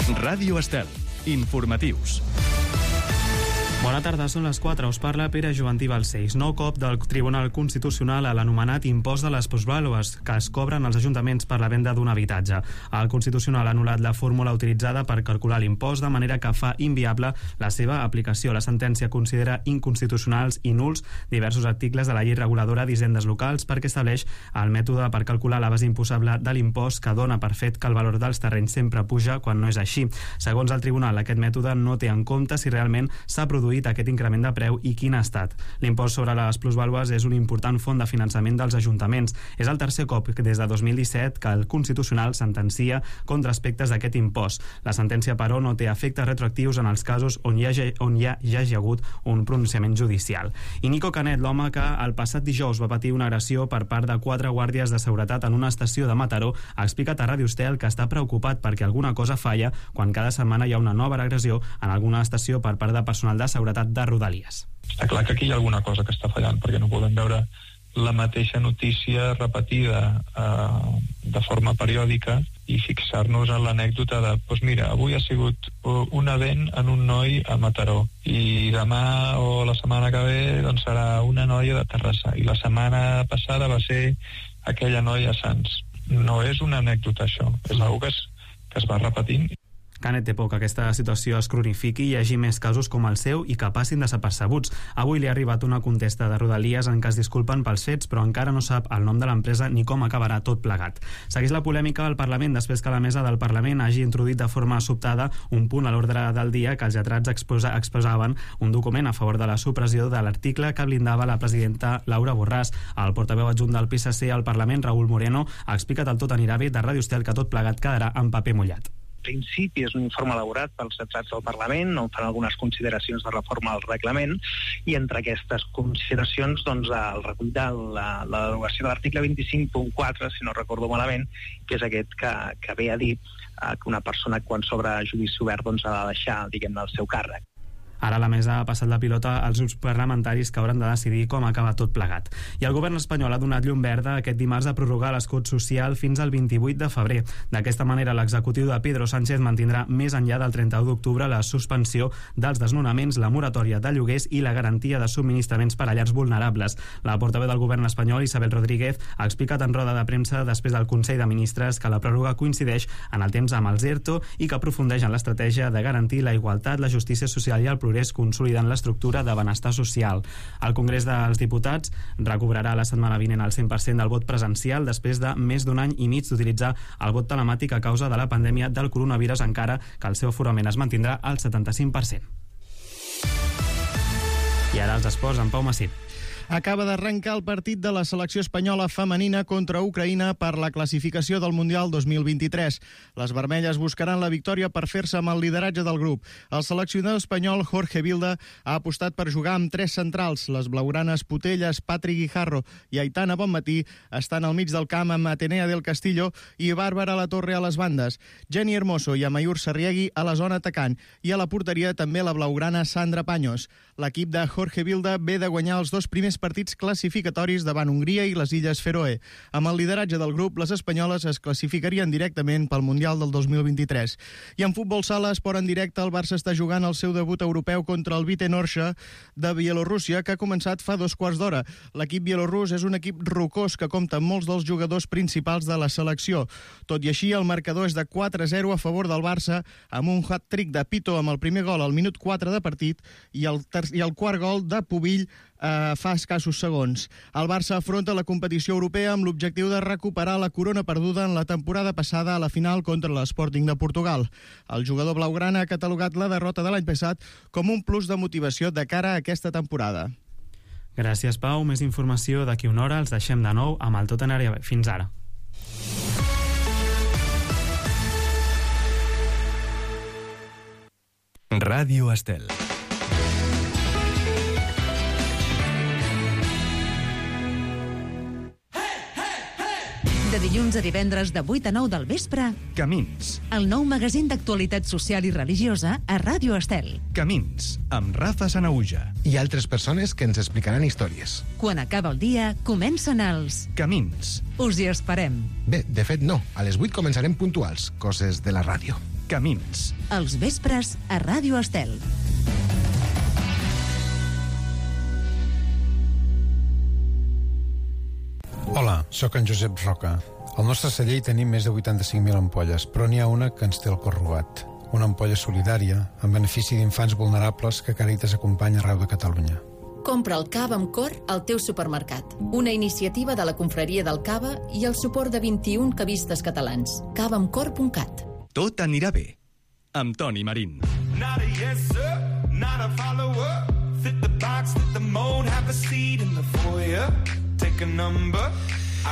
Ràdio Estel. Informatius. Bona tarda, són les 4. Us parla Pere Joventí Balcells. Nou cop del Tribunal Constitucional a l'anomenat impost de les plusvàlues que es cobren als ajuntaments per la venda d'un habitatge. El Constitucional ha anul·lat la fórmula utilitzada per calcular l'impost, de manera que fa inviable la seva aplicació. La sentència considera inconstitucionals i nuls diversos articles de la llei reguladora d'hisendes locals perquè estableix el mètode per calcular la base imposable de l'impost, que dona per fet que el valor dels terrenys sempre puja quan no és així. Segons el Tribunal, aquest mètode no té en compte si realment s'ha produït aquest increment de preu i quin ha estat. L'impost sobre les plusvàlues és una important font de finançament dels ajuntaments. És el tercer cop des de 2017 que el Constitucional sentencia contra aspectes d'aquest impost. La sentència, però, no té efectes retroactius en els casos on ja hi hagi hagut un pronunciament judicial. I Nico Canet, l'home que el passat dijous va patir una agressió per part de 4 guàrdies de seguretat en una estació de Mataró, ha explicat a Ràdio Estel que està preocupat perquè alguna cosa falla quan cada setmana hi ha una nova agressió en alguna estació per part de personal de seguretat de Rodalies. Està clar que aquí hi ha alguna cosa que està fallant, perquè no podem veure la mateixa notícia repetida de forma periòdica i fixar-nos en l'anècdota de, doncs mira, avui ha sigut un event en un noi a Mataró i demà o la setmana que ve doncs serà una noia de Terrassa i la setmana passada va ser aquella noia a Sants. No és una anècdota, això, és una cosa que es va repetint. Canet té por que aquesta situació es cronifiqui i hi hagi més casos com el seu i que passin desapercebuts. Avui li ha arribat una contesta de Rodalies en què es disculpen pels fets, però encara no sap el nom de l'empresa ni com acabarà tot plegat. Segueix la polèmica al Parlament després que la mesa del Parlament hagi introduït de forma sobtada un punt a l'ordre del dia que els lletrats exposaven un document a favor de la supressió de l'article que blindava la presidenta Laura Borràs. El portaveu adjunt del PSC al Parlament, Raúl Moreno, ha explicat al Tot anirà bé de Ràdio Estel que tot plegat quedarà en paper mullat. Principi és un informe elaborat pels lletrats del Parlament on fan algunes consideracions de reforma al reglament i entre aquestes consideracions doncs, el recull de la derogació de l'article 25.4, si no recordo malament, que és aquest que ve a dir que una persona quan s'obre judici obert doncs, ha de deixar, diguem-ne, el seu càrrec. Ara la mesa ha passat la pilota als grups parlamentaris que hauran de decidir com acaba tot plegat. I el govern espanyol ha donat llum verda aquest dimarts a prorrogar l'escut social fins al 28 de febrer. D'aquesta manera, l'executiu de Pedro Sánchez mantindrà més enllà del 31 d'octubre la suspensió dels desnonaments, la moratòria de lloguers i la garantia de subministraments per a llars vulnerables. La portaveu del govern espanyol, Isabel Rodríguez, ha explicat en roda de premsa després del Consell de Ministres que la pròrroga coincideix en el temps amb els ERTO i que aprofundeix en l'estratègia de garantir la igualtat, la justícia social i el progrés, consolidant l'estructura de benestar social. El Congrés dels Diputats recobrarà la setmana vinent el 100% del vot presencial després de més d'un any i mig d'utilitzar el vot telemàtic a causa de la pandèmia del coronavirus, encara que el seu aforament es mantindrà al 75%. I ara els esports amb Pau Massip. Acaba d'arrencar el partit de la selecció espanyola femenina contra Ucraïna per la classificació del Mundial 2023. Les vermelles buscaran la victòria per fer-se amb el lideratge del grup. El seleccionador espanyol Jorge Vilda ha apostat per jugar amb 3 centrals. Les blaugranes Putelles, Patrick Guijarro i Aitana Bonmatí estan al mig del camp amb Atenea del Castillo i Bàrbara Latorre a les bandes. Jenny Hermoso i Amayur Sarriegui a la zona atacant i a la porteria també la blaugrana Sandra Paños. L'equip de Jorge Vilda ve de guanyar els 2 primers partits classificatoris davant Hongria i les Illes Feroe. Amb el lideratge del grup, les espanyoles es classificarien directament pel Mundial del 2023. I en futbol sala, esport en directe, el Barça està jugant el seu debut europeu contra el Vitenorxa de Bielorússia, que ha començat fa 2 quarts d'hora. L'equip bielorús és un equip rocós que compta amb molts dels jugadors principals de la selecció. Tot i així, el marcador és de 4-0 a favor del Barça, amb un hat-trick de Pito amb el primer gol al minut 4 de partit i el quart gol de Pubill fa escassos segons. El Barça afronta la competició europea amb l'objectiu de recuperar la corona perduda en la temporada passada a la final contra l'Sporting de Portugal. El jugador blaugrana ha catalogat la derrota de l'any passat com un plus de motivació de cara a aquesta temporada. Gràcies, Pau. Més informació d'aquí una hora. Els deixem de nou amb el Tot anirà bé. Fins ara. Ràdio Estel. De dilluns a divendres de 8 a 9 del vespre, Camins. El nou magazín d'actualitat social i religiosa a Ràdio Estel. Camins, amb Rafa Sanaüja. I altres persones que ens explicaran històries. Quan acaba el dia, comencen els Camins. Us hi esperem. Bé, de fet no. A les 8 començarem puntuals, coses de la ràdio. Camins. Els vespres a Ràdio Estel. Hola, sóc en Josep Roca. Al nostre celler hi tenim més de 85.000 ampolles, però n'hi ha una que ens té el cor robat. Una ampolla solidària, en benefici d'infants vulnerables que Càritas acompanya arreu de Catalunya. Compra el cava amb cor al teu supermercat. Una iniciativa de la Confraria del Cava i el suport de 21 cavistes catalans. cavaamcor.cat. Tot anirà bé. Amb Toni Marín. Not a yes sir, not a follower. Fit the box, fit the mold, have a seat in the foyer. Take a number.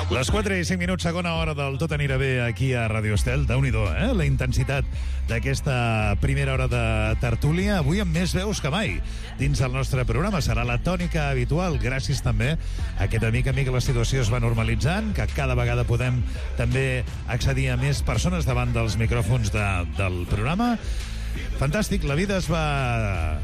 Les 4 i 5 minuts, segona hora del Tot anirà bé aquí a Ràdio Estel. Déu-n'hi-do, la intensitat d'aquesta primera hora de tertúlia. Avui amb més veus que mai dins del nostre programa. Serà la tònica habitual, gràcies també a que de mica en mica la situació es va normalitzant, que cada vegada podem també accedir a més persones davant dels micròfons del programa. Fantàstic, la vida es va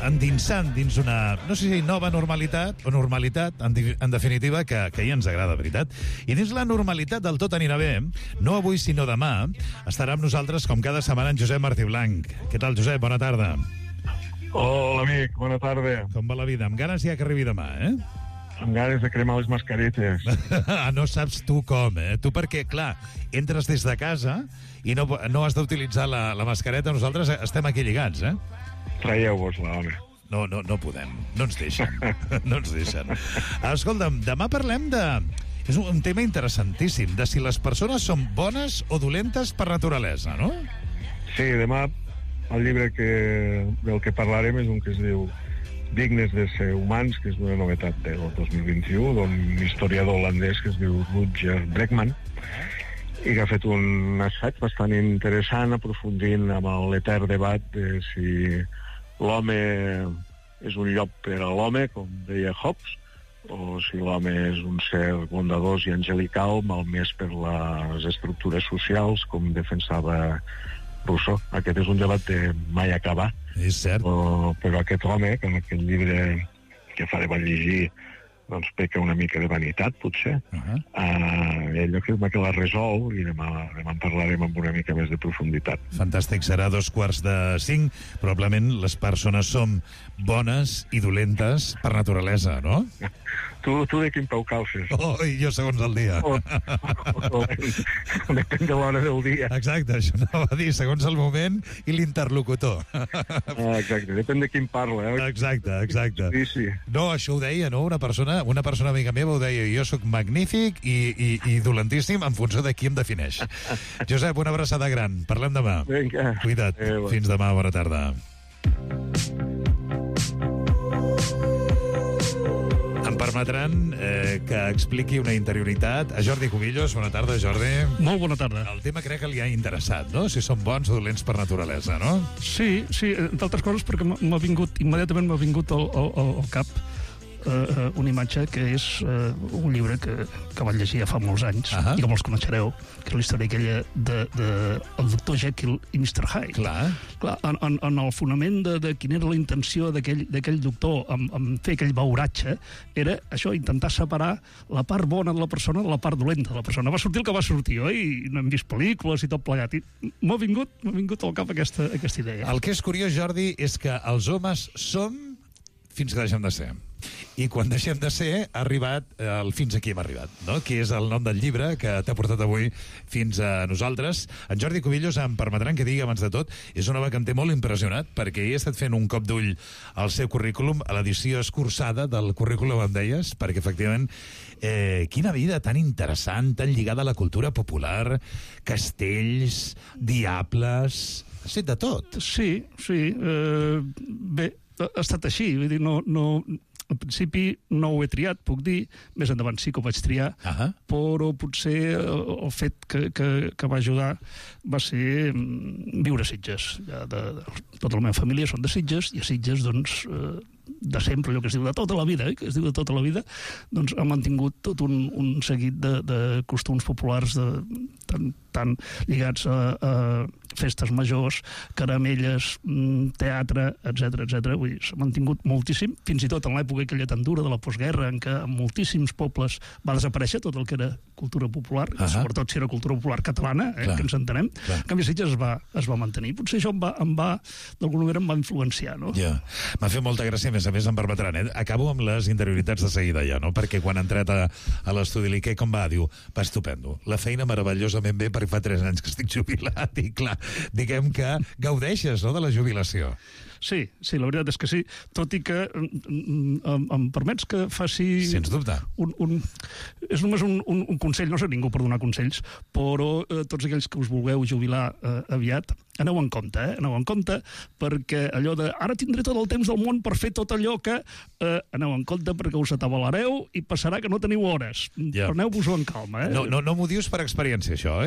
endinsant dins una, no sé si nova normalitat o normalitat, en definitiva, que ja ens agrada, veritat. I dins la normalitat del Tot anirà bé, no avui sinó demà, estarà amb nosaltres, com cada setmana, en Josep Martí Blanc. Què tal, Josep? Bona tarda. Hola, amic, bona tarda. Com va la vida? Amb ganes ja que arribi demà, Amb ganes de cremar les mascaretes. No saps tu com, Tu perquè, clar, entres des de casa i no has d'utilitzar la mascareta. Nosaltres estem aquí lligats, Traieu-vos-la, home. No podem. No ens deixen. No ens deixen. Escolta'm, demà parlem de... És un tema interessantíssim, de si les persones són bones o dolentes per naturalesa, no? Sí, demà el llibre del que parlarem és un que es diu Dignes de ser humans, que és una novetat del 2021, d'un historiador holandès que es diu Rutger Bregman, i que ha fet un assaig bastant interessant aprofundint amb l'etern debat de si l'home és un llop per a l'home, com deia Hobbes, o si l'home és un ser bondadós i angelical, malmès per les estructures socials, com defensava Rousseau. Aquest és un debat de mai acabar. És cert. Però aquest home, que en aquest llibre que fa de bon llegir, doncs peca una mica de vanitat, potser. Ell afirma que la resol i demà en parlarem amb una mica més de profunditat. Fantàstic, serà 4:45. Probablement les persones som bones i dolentes per naturalesa, no? Tu de quin peu calces? I jo segons el dia. Depèn de l'hora del dia. Exacte, això anava a dir, segons el moment i l'interlocutor. Exacte, depèn de quin parla. Exacte. Sí. No, això ho deia, no? Una persona amiga meva ho deia, jo sóc magnífic i dolentíssim en funció de qui em defineix. Josep, una abraçada gran. Parlem demà. Vinga. Cuida't. Fins demà, bona tarda. Em permetran que expliqui una interioritat a Jordi Cubillos. Bona tarda, Jordi. Molt bona tarda. El tema crec que li ha interessat, no? Si són bons o dolents per naturalesa, no? Sí, entre altres coses perquè immediatament m'ha vingut al cap una imatge que és un llibre que vaig llegir ja fa molts anys i que molts coneixereu, que és la història aquella del doctor Jekyll i Mr. Hyde. Clar, en el fonament de quina era la intenció d'aquell doctor en fer aquell beuratge era això, intentar separar la part bona de la persona de la part dolenta de la persona. Va sortir el que va sortir, oi? No hem vist pel·lícules i tot plegat. M'ha vingut al cap aquesta idea. El que és curiós, Jordi, és que els homes som fins que deixem de ser. I quan deixem de ser, ha arribat el fins aquí hem arribat, no? Que és el nom del llibre que t'ha portat avui fins a nosaltres. En Jordi Cubillos, em permetran que digui abans de tot, és un home que em té molt impressionat, perquè he estat fent un cop d'ull al seu currículum, a l'edició escurçada del currículum, em deies, perquè efectivament quina vida tan interessant, tan lligada a la cultura popular, castells, diables, has fet de tot. Sí. Bé, ha estat així, vull dir, no al principi no ho he triat, puc dir, més endavant sí que ho vaig triar, però potser el fet que va ajudar va ser viure a Sitges. Tota la meva família són de Sitges, i a Sitges, doncs, de sempre, allò que es diu de tota la vida, doncs ha mantingut tot un seguit de costums populars tan lligats a festes majors, caramelles, teatre, etc. Vull dir, s'ha mantingut moltíssim, fins i tot en l'època aquella tan dura de la postguerra, en què en moltíssims pobles va desaparèixer tot el que era cultura popular, sobretot si era cultura popular catalana, que ens entenem. En canvi, Sitges es va mantenir. Potser això d'alguna manera em va influenciar, no? M'ha fet molta gràcia, a més em permetran, Acabo amb les interioritats de seguida ja, no? Perquè quan ha entrat a l'estudi, què com va? Diu, va estupendo. La feina meravellosament bé perquè fa 3 anys que estic jubilat i clar, diguem que gaudeixes, no?, de la jubilació. Sí, la veritat és que sí, tot i que em permets que faci... Sens dubte. És només un consell, no sé ningú per donar consells, però tots aquells que us vulgueu jubilar aviat, aneu en compte, aneu en compte, perquè allò de ara tindré tot el temps del món per fer tot allò que... Aneu en compte perquè us atabalareu i passarà que no teniu hores. Preneu-vos-ho en calma, No m'ho dius per experiència, això,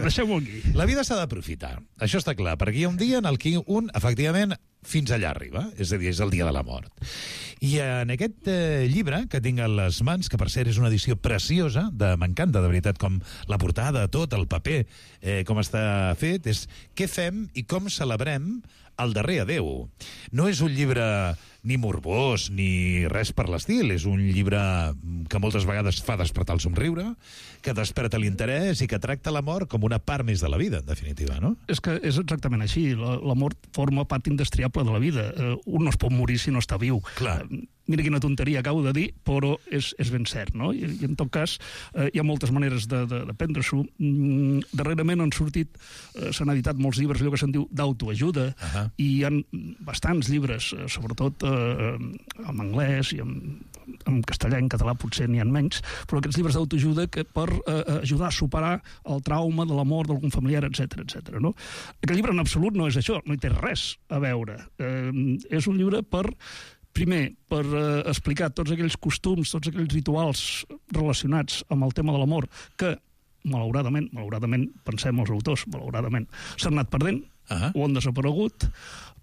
Deixeu-ho aquí. La vida s'ha d'aprofitar, això està clar, perquè hi ha un dia en el que efectivament, fins allà arriba, és a dir, és el dia de la mort. I en aquest llibre que tinc a les mans, que per cert és una edició preciosa, m'encanta de veritat com la portada, tot, el paper, com està fet, és què fem i com celebrem el darrer adeu. No és un llibre ni morbós ni res per l'estil, és un llibre que moltes vegades fa despertar el somriure, que desperta l'interès i que tracta la mort com una part més de la vida, en definitiva, no? És que és exactament així, la mort forma part indestriable de la vida. Un no es pot morir si no està viu. Clar. Mira quina tonteria acabo de dir, però és ben cert, no? I en tot cas, hi ha moltes maneres de prendre-s'ho. Darrerament han sortit, s'han editat molts llibres, allò que se'n diu d'autoajuda, i hi ha bastants llibres, sobretot en anglès i en castellà i en català potser n'hi ha menys, però aquests llibres d'autoajuda que per ajudar a superar el trauma de la mort d'algun familiar, etc. No? Aquest llibre en absolut no és això, no hi té res a veure. És un llibre primer, per explicar tots aquells costums, tots aquells rituals relacionats amb el tema de la mort que, malauradament, pensem els autors, malauradament, s'han anat perdent o han desaparegut,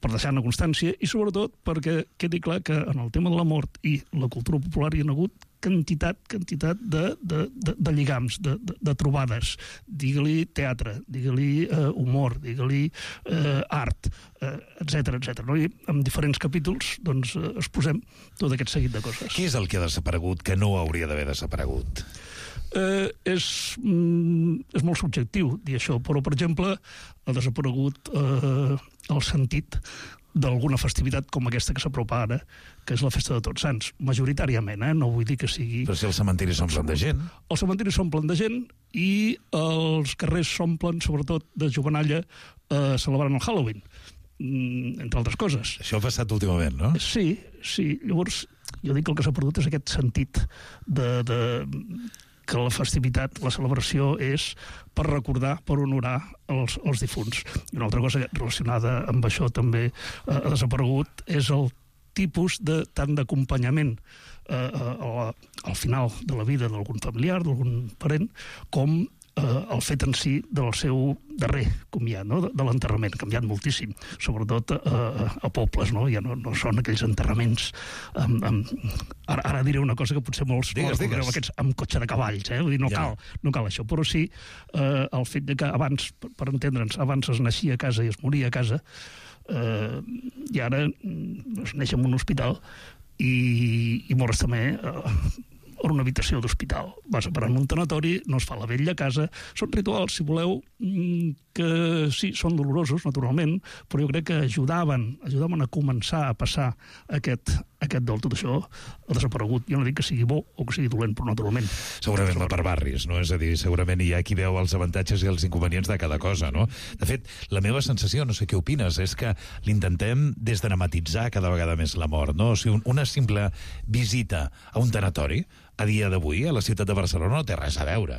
per deixar-ne constància, i sobretot perquè quedi clar que en el tema de la mort i la cultura popular hi ha hagut quantitat de lligams, de trobades. Digue-li teatre, digue-li humor, digue-li art, etc. No? I en diferents capítols doncs, exposem tot aquest seguit de coses. Què és el que ha desaparegut que no hauria d'haver desaparegut? És molt subjectiu dir això, però, per exemple, ha desaparegut el sentit d'alguna festivitat com aquesta que s'apropa ara, que és la Festa de Tots Sants, majoritàriament, no vull dir que sigui... Però si els cementiris s'omplen de gent. Els cementiris s'omplen de gent i els carrers s'omplen, sobretot, de jovenalla celebrant el Halloween, entre altres coses. Això ha passat últimament, no? Sí. Llavors, jo dic que el que s'ha perdut és aquest sentit que la festivitat, la celebració és per recordar, per honorar els difunts. I una altra cosa relacionada amb això també ha desaparegut és el tipus tant d'acompanyament al final de la vida d'algun familiar, d'algun parent, com el fet en si del seu darrer comiat, no? De l'enterrament, ha canviat moltíssim, sobretot a pobles, no? Ja no són aquells enterraments ara diré una cosa que potser molts recordeu, aquests amb cotxe de cavalls, vull dir, no cal això, però sí el fet de que abans, per entendre'ns, abans es naixia a casa i es moria a casa, i ara es neix en un hospital i mores també o una habitació d'hospital. Vas a parar en un tanatori, no es fa la vetlla a casa. Són rituals, si voleu, que sí, són dolorosos, naturalment, però jo crec que ajudaven a començar a passar aquest dol. Tot això ha desaparegut. Jo no dic que sigui bo o que sigui dolent, però naturalment. Segurament va per barris, no? És a dir, segurament hi ha qui veu els avantatges i els inconvenients de cada cosa, no? De fet, la meva sensació, no sé què opines, és que l'intentem desdramatitzar cada vegada més la mort, no? O sigui, una simple visita a un tanatori a dia d'avui, a la ciutat de Barcelona, no té res a veure.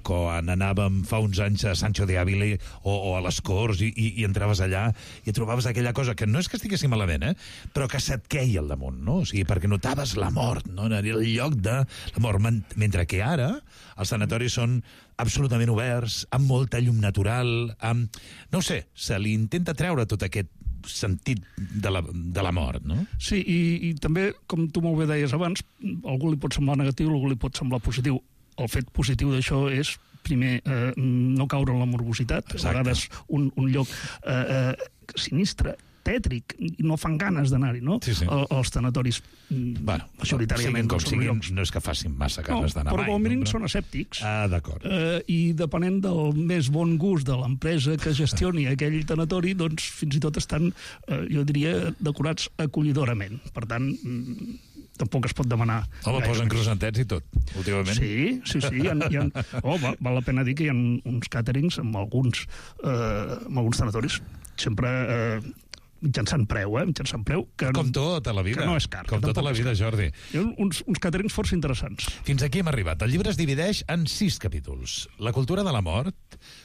Quan anàvem fa uns anys a Sancho de Ávila o a les Corts i entraves allà i trobaves aquella cosa que no és que estiguessin malament, però que se't queia al damunt, no? O sigui, perquè notaves la mort, no? Era el lloc de la mort. Mentre que ara els sanatoris són absolutament oberts, amb molta llum natural, no ho sé, se li intenta treure tot aquest sentit de la mort, no? Sí, i també, com tu molt bé deies abans, a algú li pot semblar negatiu, a algú li pot semblar positiu. el fet positiu d'això és, primer, no caure en la morbositat. A vegades un lloc sinistre, tètric, no fan ganes d'anar-hi, no? Sí. Els tanatoris, majoritàriament... Siguin, no és que facin massa ganes d'anar mai. Però com a mínim són escèptics. D'acord. I depenent del més bon gust de l'empresa que gestioni aquell tanatori, doncs fins i tot estan, jo diria, decorats acollidorament. Per tant, tampoc es pot demanar... Home, posen crosantets i tot, últimament. Sí. Val la pena dir que hi ha uns càterings amb alguns tanatoris, sempre... mitjançant preu, com tota la vida. Que no és car. Com tota la vida, Jordi. Hi ha uns càterings força interessants. Fins aquí hem arribat. El llibre es divideix en 6 capítols. La cultura de la mort,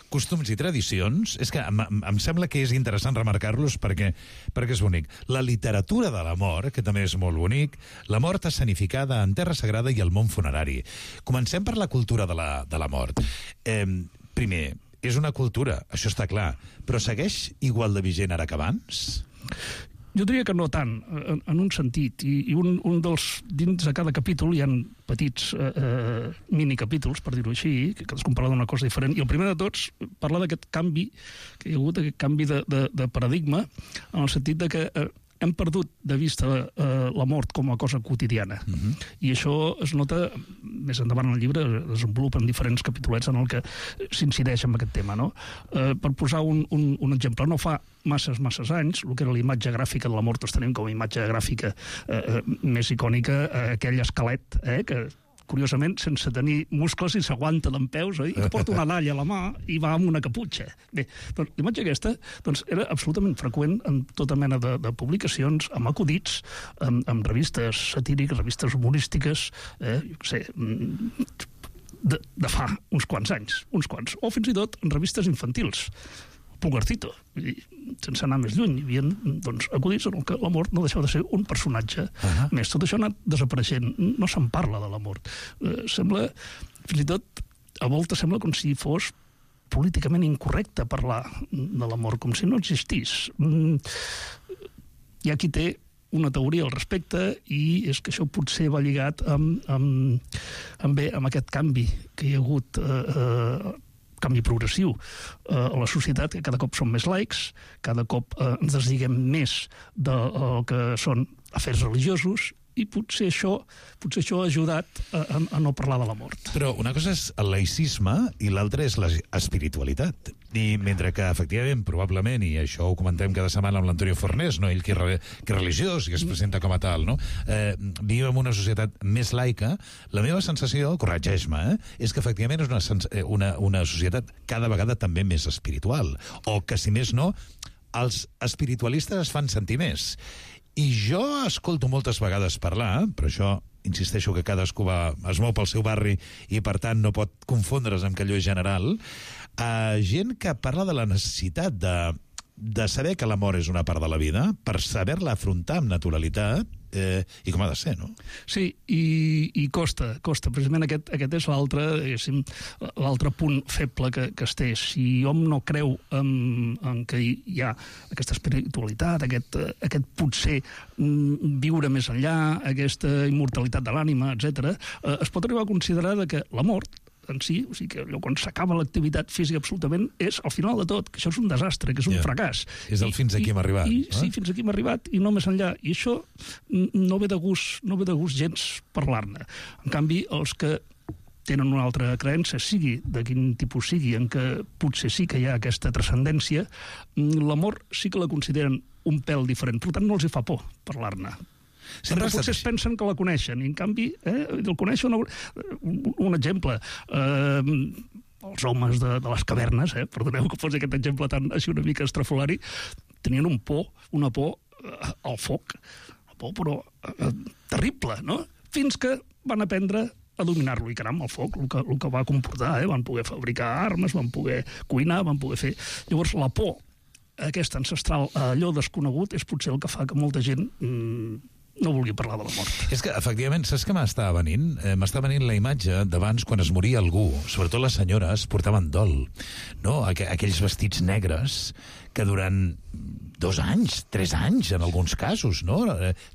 costums i tradicions... És que em sembla que és interessant remarcar-los perquè és bonic. La literatura de la mort, que també és molt bonic. La mort escenificada en terra sagrada i el món funerari. Comencem per la cultura de la mort. Primer, és una cultura, això està clar, però segueix igual de vigent ara que abans? Jo diria que no tant, en un sentit. I un dels... Dins de cada capítol hi ha petits minicapítols, per dir-ho així, que cadascun parla d'una cosa diferent. I el primer de tots parla d'aquest canvi, que hi ha hagut aquest canvi de paradigma, en el sentit de que hem perdut de vista la mort com a cosa quotidiana. I això es nota, més endavant en el llibre, es desenvolupa en diferents capítolets en el que s'incideix en aquest tema, no? Per posar un exemple, no fa masses anys, el que era la imatge gràfica de la mort, tenim com a imatge gràfica més icònica aquell esquelet, que curiosament, sense tenir muscles i s'aguanta dempeus, i que porta una dalla a la mà i va amb una caputxa. Bé, doncs l'imatge aquesta era absolutament freqüent en tota mena de publicacions, amb acudits, amb revistes satíriques, revistes humorístiques, jo què sé, de fa uns quants anys, o fins i tot en revistes infantils. Pulgarcito, sense anar més lluny, hi havia acudits en què la mort no deixava de ser un personatge més. Tot això ha anat desapareixent, no se'n parla de la mort. Sembla, fins i tot, a voltes sembla com si fos políticament incorrecte parlar de la mort, com si no existís. Hi ha qui té una teoria al respecte i és que això potser va lligat amb aquest canvi que hi ha hagut canvi progressiu a la societat, que cada cop som més laics, cada cop ens desliguem més del que són afers religiosos, i potser això ha ajudat a no parlar de la mort. Però una cosa és el laïcisme i l'altra és l'espiritualitat. I mentre que, efectivament, probablement, i això ho comentem cada setmana amb l'Antonio Fornés, no? Ell que és religiós i que es presenta com a tal, no? Viu en una societat més laica. La meva sensació, corregeix-me, és que efectivament és una societat cada vegada també més espiritual. O que, si més no, els espiritualistes es fan sentir més. I jo escolto moltes vegades parlar, però això, insisteixo que cadascú es mou pel seu barri i, per tant, no pot confondre's amb que allò és general, gent que parla de la necessitat de saber que la mort és una part de la vida, per saber-la afrontar amb naturalitat, i com ha de ser, no? Sí, i costa. Precisament aquest és l'altre punt feble que es té. Si hom no creu en que hi ha aquesta espiritualitat, aquest potser viure més enllà, aquesta immortalitat de l'ànima, etc., es pot arribar a considerar que la mort en si, o sigui que allò quan s'acaba l'activitat física absolutament és el final de tot, que això és un desastre, que és un fracàs. És el fins aquí hem arribat. Sí, fins aquí hem arribat i no més enllà. I això no ve de gust gens parlar-ne. En canvi, els que tenen una altra creença, sigui de quin tipus sigui, en què potser sí que hi ha aquesta transcendència, la mort sí que la consideren un pèl diferent. Per tant, no els hi fa por parlar-ne. Sempre potser es pensen que la coneixen, i en canvi el coneixen. Un exemple, els homes de les cavernes, perdoneu que posi aquest exemple tan així una mica estrafolari, tenien una por al foc, una por però terrible, no? Fins que van aprendre a dominar-lo, i caram, el foc, el que va comportar, van poder fabricar armes, van poder cuinar, van poder fer... Llavors, la por, aquesta ancestral, allò desconegut, és potser el que fa que molta gent no vulgui parlar de la mort. És que, efectivament, saps què m'està venint? M'està venint la imatge d'abans, quan es moria algú, sobretot les senyores, portaven dol, no? Aquells vestits negres que durant 2 anys, 3 anys, en alguns casos, no?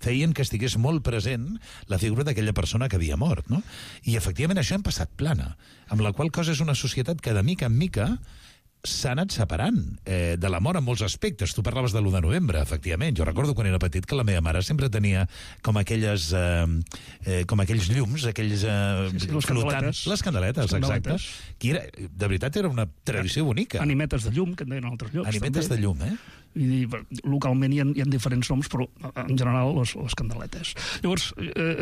Feien que estigués molt present la figura d'aquella persona que havia mort, no? I, efectivament, això hem passat plana, amb la qual cosa és una societat que, de mica en mica, s'ha anat separant de la mort en molts aspectes. Tu parlaves de l'1 de novembre, efectivament. Jo recordo quan era petit que la meva mare sempre tenia com aquells llums, aquells flotants. Les candeletes, exacte. Que era, de veritat era una tradició bonica. Animetes de llum, que en deien altres llocs. Animetes de llum, I localment hi ha diferents noms, però en general les candeletes. Llavors,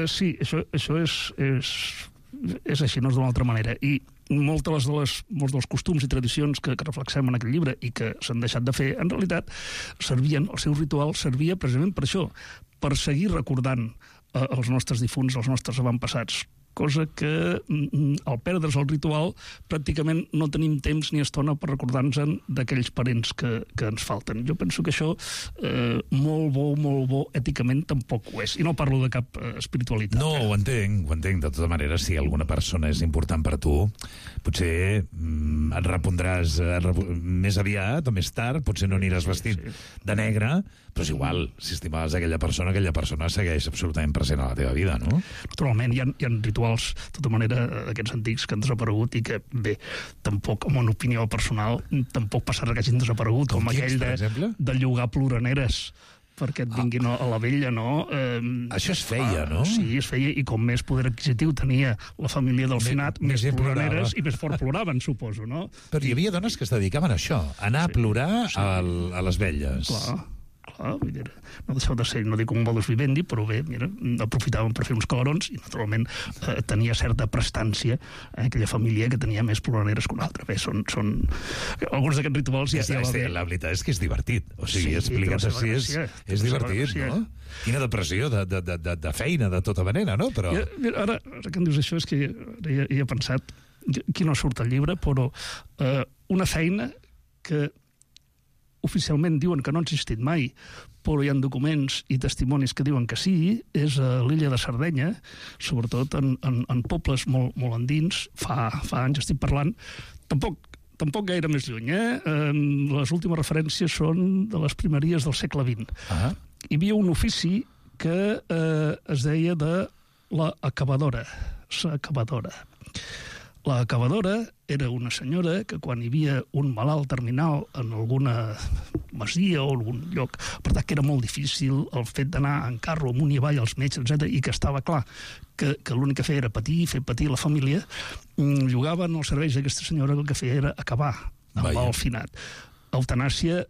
sí, això és així, no és d'una altra manera. I molts dels costums i tradicions que reflexem en aquest llibre i que s'han deixat de fer, en realitat el seu ritual servia precisament per això, per seguir recordant els nostres difunts, els nostres avantpassats, cosa que al perdre's el ritual pràcticament no tenim temps ni estona per recordar-nos d'aquells parents que ens falten. Jo penso que això molt bo èticament tampoc ho és, i no parlo de cap espiritualitat. No, ho entenc, de tota manera, si alguna persona és important per tu, potser et repondràs més aviat o més tard, potser no aniràs vestit de negre, però és igual, si estimaves aquella persona segueix absolutament present a la teva vida, no? Naturalment, hi ha rituals, de tota manera, d'aquests antics que han desaparegut i que, bé, tampoc, amb una opinió personal, tampoc passarà que hagin desaparegut, com aquell de llogar ploraneres perquè et vinguin a la vella, no? Això es feia, no? Sí, es feia, i com més poder adquisitiu tenia la família del finat, més ploraneres i més fort ploraven, suposo, no? Però hi havia dones que es dedicaven a això, a anar a plorar a les velles. Clar, vull dir, no deixeu de ser, no dic un modus vivendi, però bé, mira, aprofitaven per fer uns calarons i naturalment tenia certa prestància aquella família que tenia més ploraneres que una altra. Bé, són alguns d'aquests rituals la veritat és que és divertit, o sigui, explicat així és divertit, no? Quina depressió de feina, de tota manera, no? Però ara que em dius això, és que hi he pensat, aquí no surt el llibre, però una feina que oficialment diuen que no ha existit mai, però hi ha documents i testimonis que diuen que sí, és a l'illa de Sardenya, sobretot en pobles molt endins, fa anys estic parlant, tampoc gaire més lluny, les últimes referències són de les primeries del segle XX. Hi havia un ofici que es deia de la acabadora. La acabadora era una senyora que quan hi havia un malalt terminal en alguna masia o algun lloc, per tant que era molt difícil el fet d'anar en carro amunt i avall als metges, etc., i que estava clar que l'únic que feia era fer patir la família, llogaven els serveis d'aquesta senyora, que el que feia era acabar amb el finat. Eutanàsia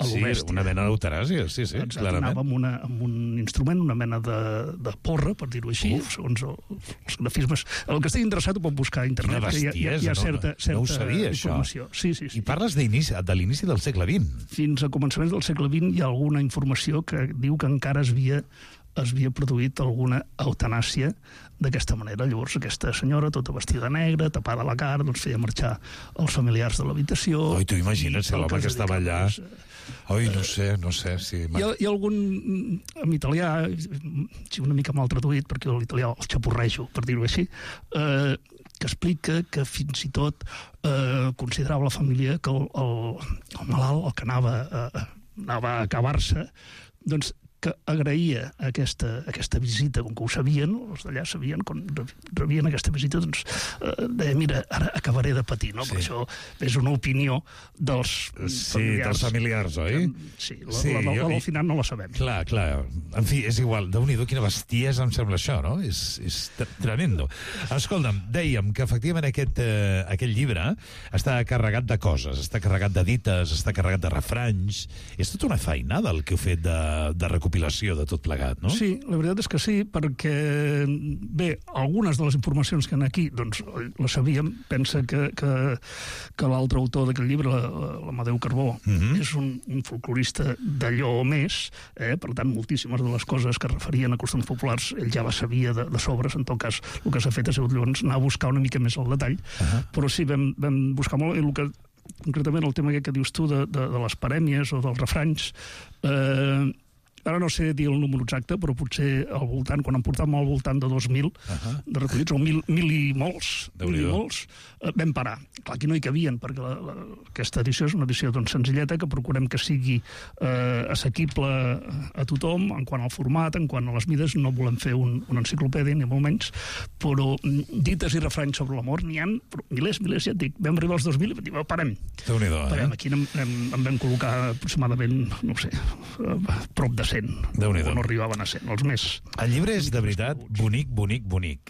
a lo bèstia. Sí, una mena d'eutanàsia, sí, clarament. Anava amb un instrument, una mena de porra, per dir-ho així, segons els grafismes. El que estigui interessat ho pot buscar a internet, que hi ha certa no ho sabia, informació. Sí. I parles de l'inici del segle XX. Fins a començaments del segle XX hi ha alguna informació que diu que encara es havia produït alguna eutanàsia d'aquesta manera. Llavors aquesta senyora, tota vestida negra, tapada la cara, doncs feia marxar els familiars de l'habitació. Oi, tu imagina't si l'home que estava allà... Oi, no sé si... Hi ha algun, en italià, una mica mal traduït, perquè l'italià el xapurrejo, per dir-ho així, que explica que fins i tot considerava la família que el malalt, el que anava a acabar-se, doncs que agraïa aquesta visita, com que ho sabien, els d'allà sabien, quan rebien aquesta visita, doncs deia, mira, ara acabaré de patir, no? Però això és una opinió dels familiars. Sí, dels familiars, oi? Sí, la del final no la sabem. Clar. En fi, és igual, Déu-n'hi-do, quina bestiesa em sembla això, no? És tremendo. Escolta'm, dèiem que efectivament aquest llibre està carregat de coses, està carregat de dites, està carregat de refranys. És tota una feinada el que heu fet de recopilació de tot plegat, no? Sí, la veritat és que sí, perquè, bé, algunes de les informacions que hi ha aquí, doncs, les sabíem. Pensa que l'altre autor d'aquest llibre, l'Amadeu Carbó, és un folclorista d'allò més, per tant, moltíssimes de les coses que referien a costums populars ell ja les sabia de sobres. En tot cas, el que s'ha fet ha sigut llavors anar a buscar una mica més el detall, però sí, vam buscar molt, i el que concretament el tema que dius tu de les parèmies o dels refranys, ara no sé dir el número exacte, però potser al voltant, quan en portàvem al voltant de 2.000 de recollits, o 1.000 i molts, vam parar. Clar, aquí no hi cabien, perquè aquesta edició és una edició doncs, senzilleta, que procurem que sigui assequible a tothom, en quant al format, en quant a les mides. No volem fer una enciclopèdia, ni molt menys, però dites i refranys sobre l'amor n'hi ha milers, ja et dic. Vam arribar als 2.000 i vam dir, parem. Parem, aquí en vam col·locar aproximadament, no sé, prop de 100, o no arribaven a 100, els més. El llibre és de veritat bonic.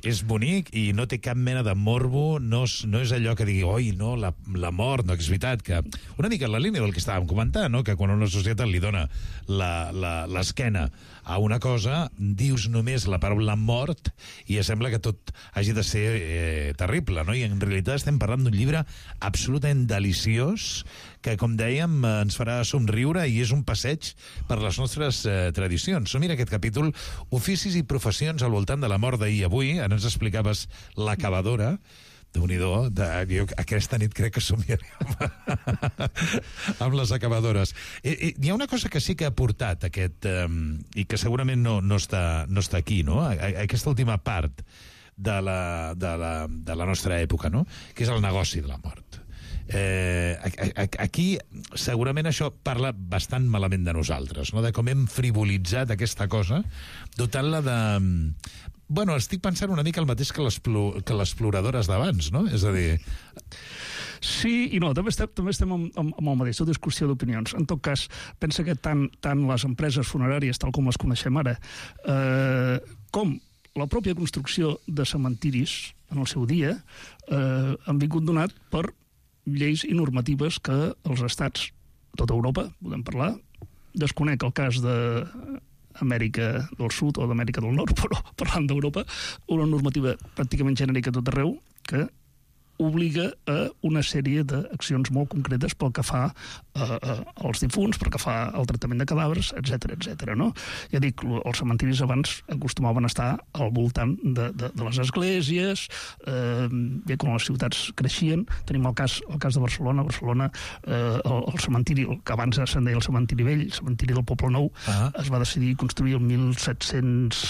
És bonic i no té cap mena de morbo, no és allò que digui, oi, no, la mort, no, que és veritat que... Una mica en la línia del que estàvem comentant, no? Que quan una societat li dona l'esquena a una cosa, dius només la paraula mort i sembla que tot hagi de ser terrible, no? I en realitat estem parlant d'un llibre absolutament deliciós que, com dèiem, ens farà somriure i és un passeig per les nostres tradicions. Mira aquest capítol, oficis i professions al voltant de la mort d'ahir i avui. Ara ens explicaves l'acabadora. Déu-n'hi-do, jo aquesta nit crec que somiarem amb les acabadores. Hi ha una cosa que sí que ha portat aquest, i que segurament no està aquí, no? Aquesta última part de la nostra època, no? Que és el negoci de la mort. Aquí segurament això parla bastant malament de nosaltres, no? De com hem frivolitzat aquesta cosa, dotant-la de... Bueno, estic pensant una mica el mateix que les ploradores d'abans, no? És a dir... Sí i no, també estem amb el mateix, tota discussió d'opinions. En tot cas, pensa que tant les empreses funeràries, tal com les coneixem ara, com la pròpia construcció de cementiris en el seu dia, han vingut donat per lleis i normatives que els estats, tota Europa, podem parlar, desconec el cas d'Amèrica del Sud o d'Amèrica del Nord, però parlant d'Europa, una normativa pràcticament genèrica a tot arreu que obliga a una sèrie d'accions molt concretes pel que fa als difunts, pel que fa al tractament de cadàvers, etc. No? Ja dic, els cementiris abans acostumaven a estar al voltant de les esglésies, bé, quan les ciutats creixien. Tenim el cas de Barcelona. El cementiri, que abans se'n deia el cementiri vell, el cementiri del Poble Nou, es va decidir construir el 1700...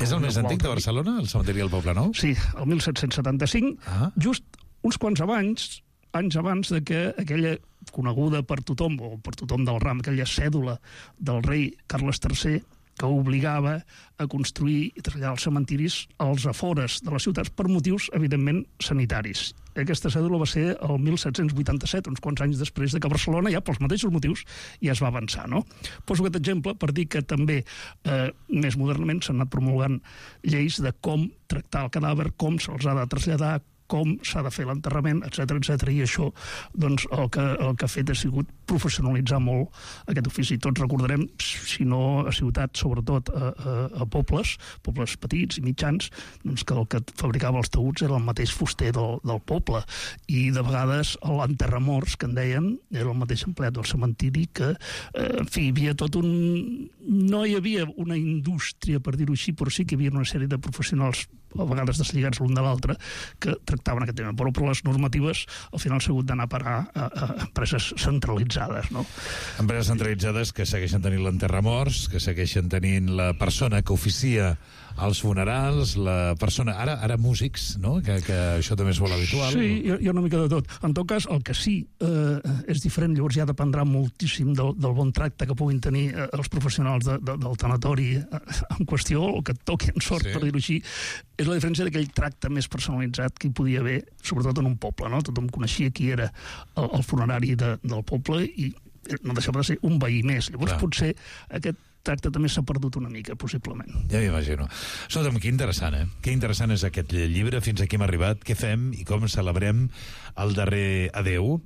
És el més antic de Barcelona, el cementiri del Poble Nou? Sí, el 1775, just uns quants anys abans de que aquella coneguda per tothom, o per tothom del ram, aquella cèdula del rei Carles III, que obligava a construir i traslladar els cementiris als afores de les ciutats per motius, evidentment, sanitaris. Aquesta cèdula va ser el 1787, uns quants anys després de que Barcelona, ja pels mateixos motius, ja es va avançar, no? Poso aquest exemple per dir que també, més modernament, s'han anat promulgant lleis de com tractar el cadàver, com se'ls ha de traslladar, com s'ha de fer l'enterrament, etc. I això, doncs, el que ha fet ha sigut professionalitzar molt aquest ofici. Tots recordarem, si no a ciutats, sobretot a pobles petits i mitjans, doncs que el que fabricava els taüts era el mateix fuster del poble, i de vegades l'enterramorts, que en deien, era el mateix empleat del cementiri, que, en fi, hi havia tot un... No hi havia una indústria, per dir-ho així, però sí que hi havia una sèrie de professionals, a vegades deslligats l'un de l'altre, que tractaven aquest tema. Però les normatives al final s'ha hagut d'anar a parar a empreses centralitzades, no? Empreses centralitzades que segueixen tenint l'enterramorts, que segueixen tenint la persona que oficia als funerals, la persona... Ara músics, no? Que això també és molt habitual. Sí, hi ha una mica de tot. En tot cas, el que sí és diferent, llavors ja dependrà moltíssim del bon tracte que puguin tenir els professionals del tanatori en qüestió, o que et toqui en sort, per dir-ho així, és la diferència d'aquell tracte més personalitzat que hi podia haver, sobretot en un poble, no? Tothom coneixia qui era el funerari del poble i no deixava de ser un veí més. Llavors, potser aquest tracte també s'ha perdut una mica, possiblement. Ja m'imagino. Escolta'm, que interessant, eh? Que interessant és aquest llibre, fins aquí hem arribat, què fem i com celebrem el darrer adeu.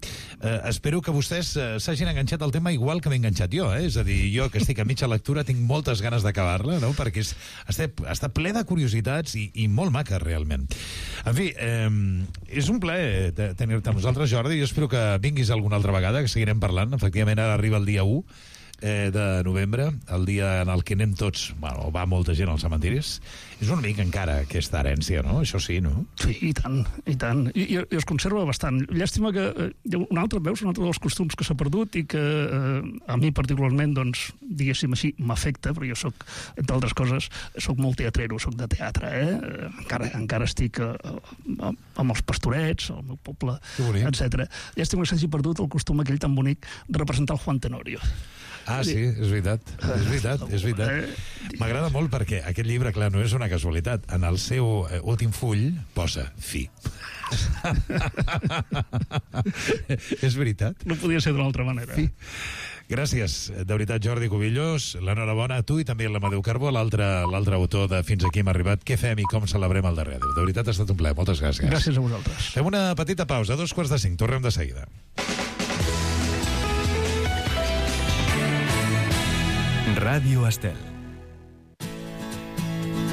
Espero que vostès s'hagin enganxat al tema igual que m'he enganxat jo, eh? És a dir, jo que estic a mitja lectura tinc moltes ganes d'acabar-la, no? Perquè està ple de curiositats i molt maca, realment. En fi, és un plaer tenir-te amb nosaltres, Jordi. Jo espero que vinguis alguna altra vegada, que seguirem parlant. Efectivament, ara arriba el dia 1. de novembre, el dia en el que anem tots, bueno, va molta gent als cementiris, és una mica encara aquesta herència, no? Això sí, no? Sí, i tant, i tant. I es conserva bastant. Llàstima que un altre dels costums que s'ha perdut i que a mi particularment, doncs, diguéssim així, m'afecta, perquè jo soc, entre altres coses, soc molt teatrero, soc de teatre, encara estic amb els pastorets, al meu poble, etc. Llàstima que s'hagi perdut el costum aquell tan bonic de representar el Juan Tenorio. Ah, sí, és veritat. M'agrada molt perquè aquest llibre, clar, no és una casualitat. En el seu últim full posa fi. És veritat. No podia ser d'una altra manera. Fi. Gràcies, de veritat, Jordi Cubillos. L'enhorabona a tu i també a l'Amadeu Carbó, l'altre autor de Fins aquí hem arribat. Què fem i com celebrem el darrer adéu? De veritat, ha estat un plaer. Moltes gràcies. Gràcies a vosaltres. Fem una petita pausa, 4:45. Tornem de seguida. Ràdio Estel.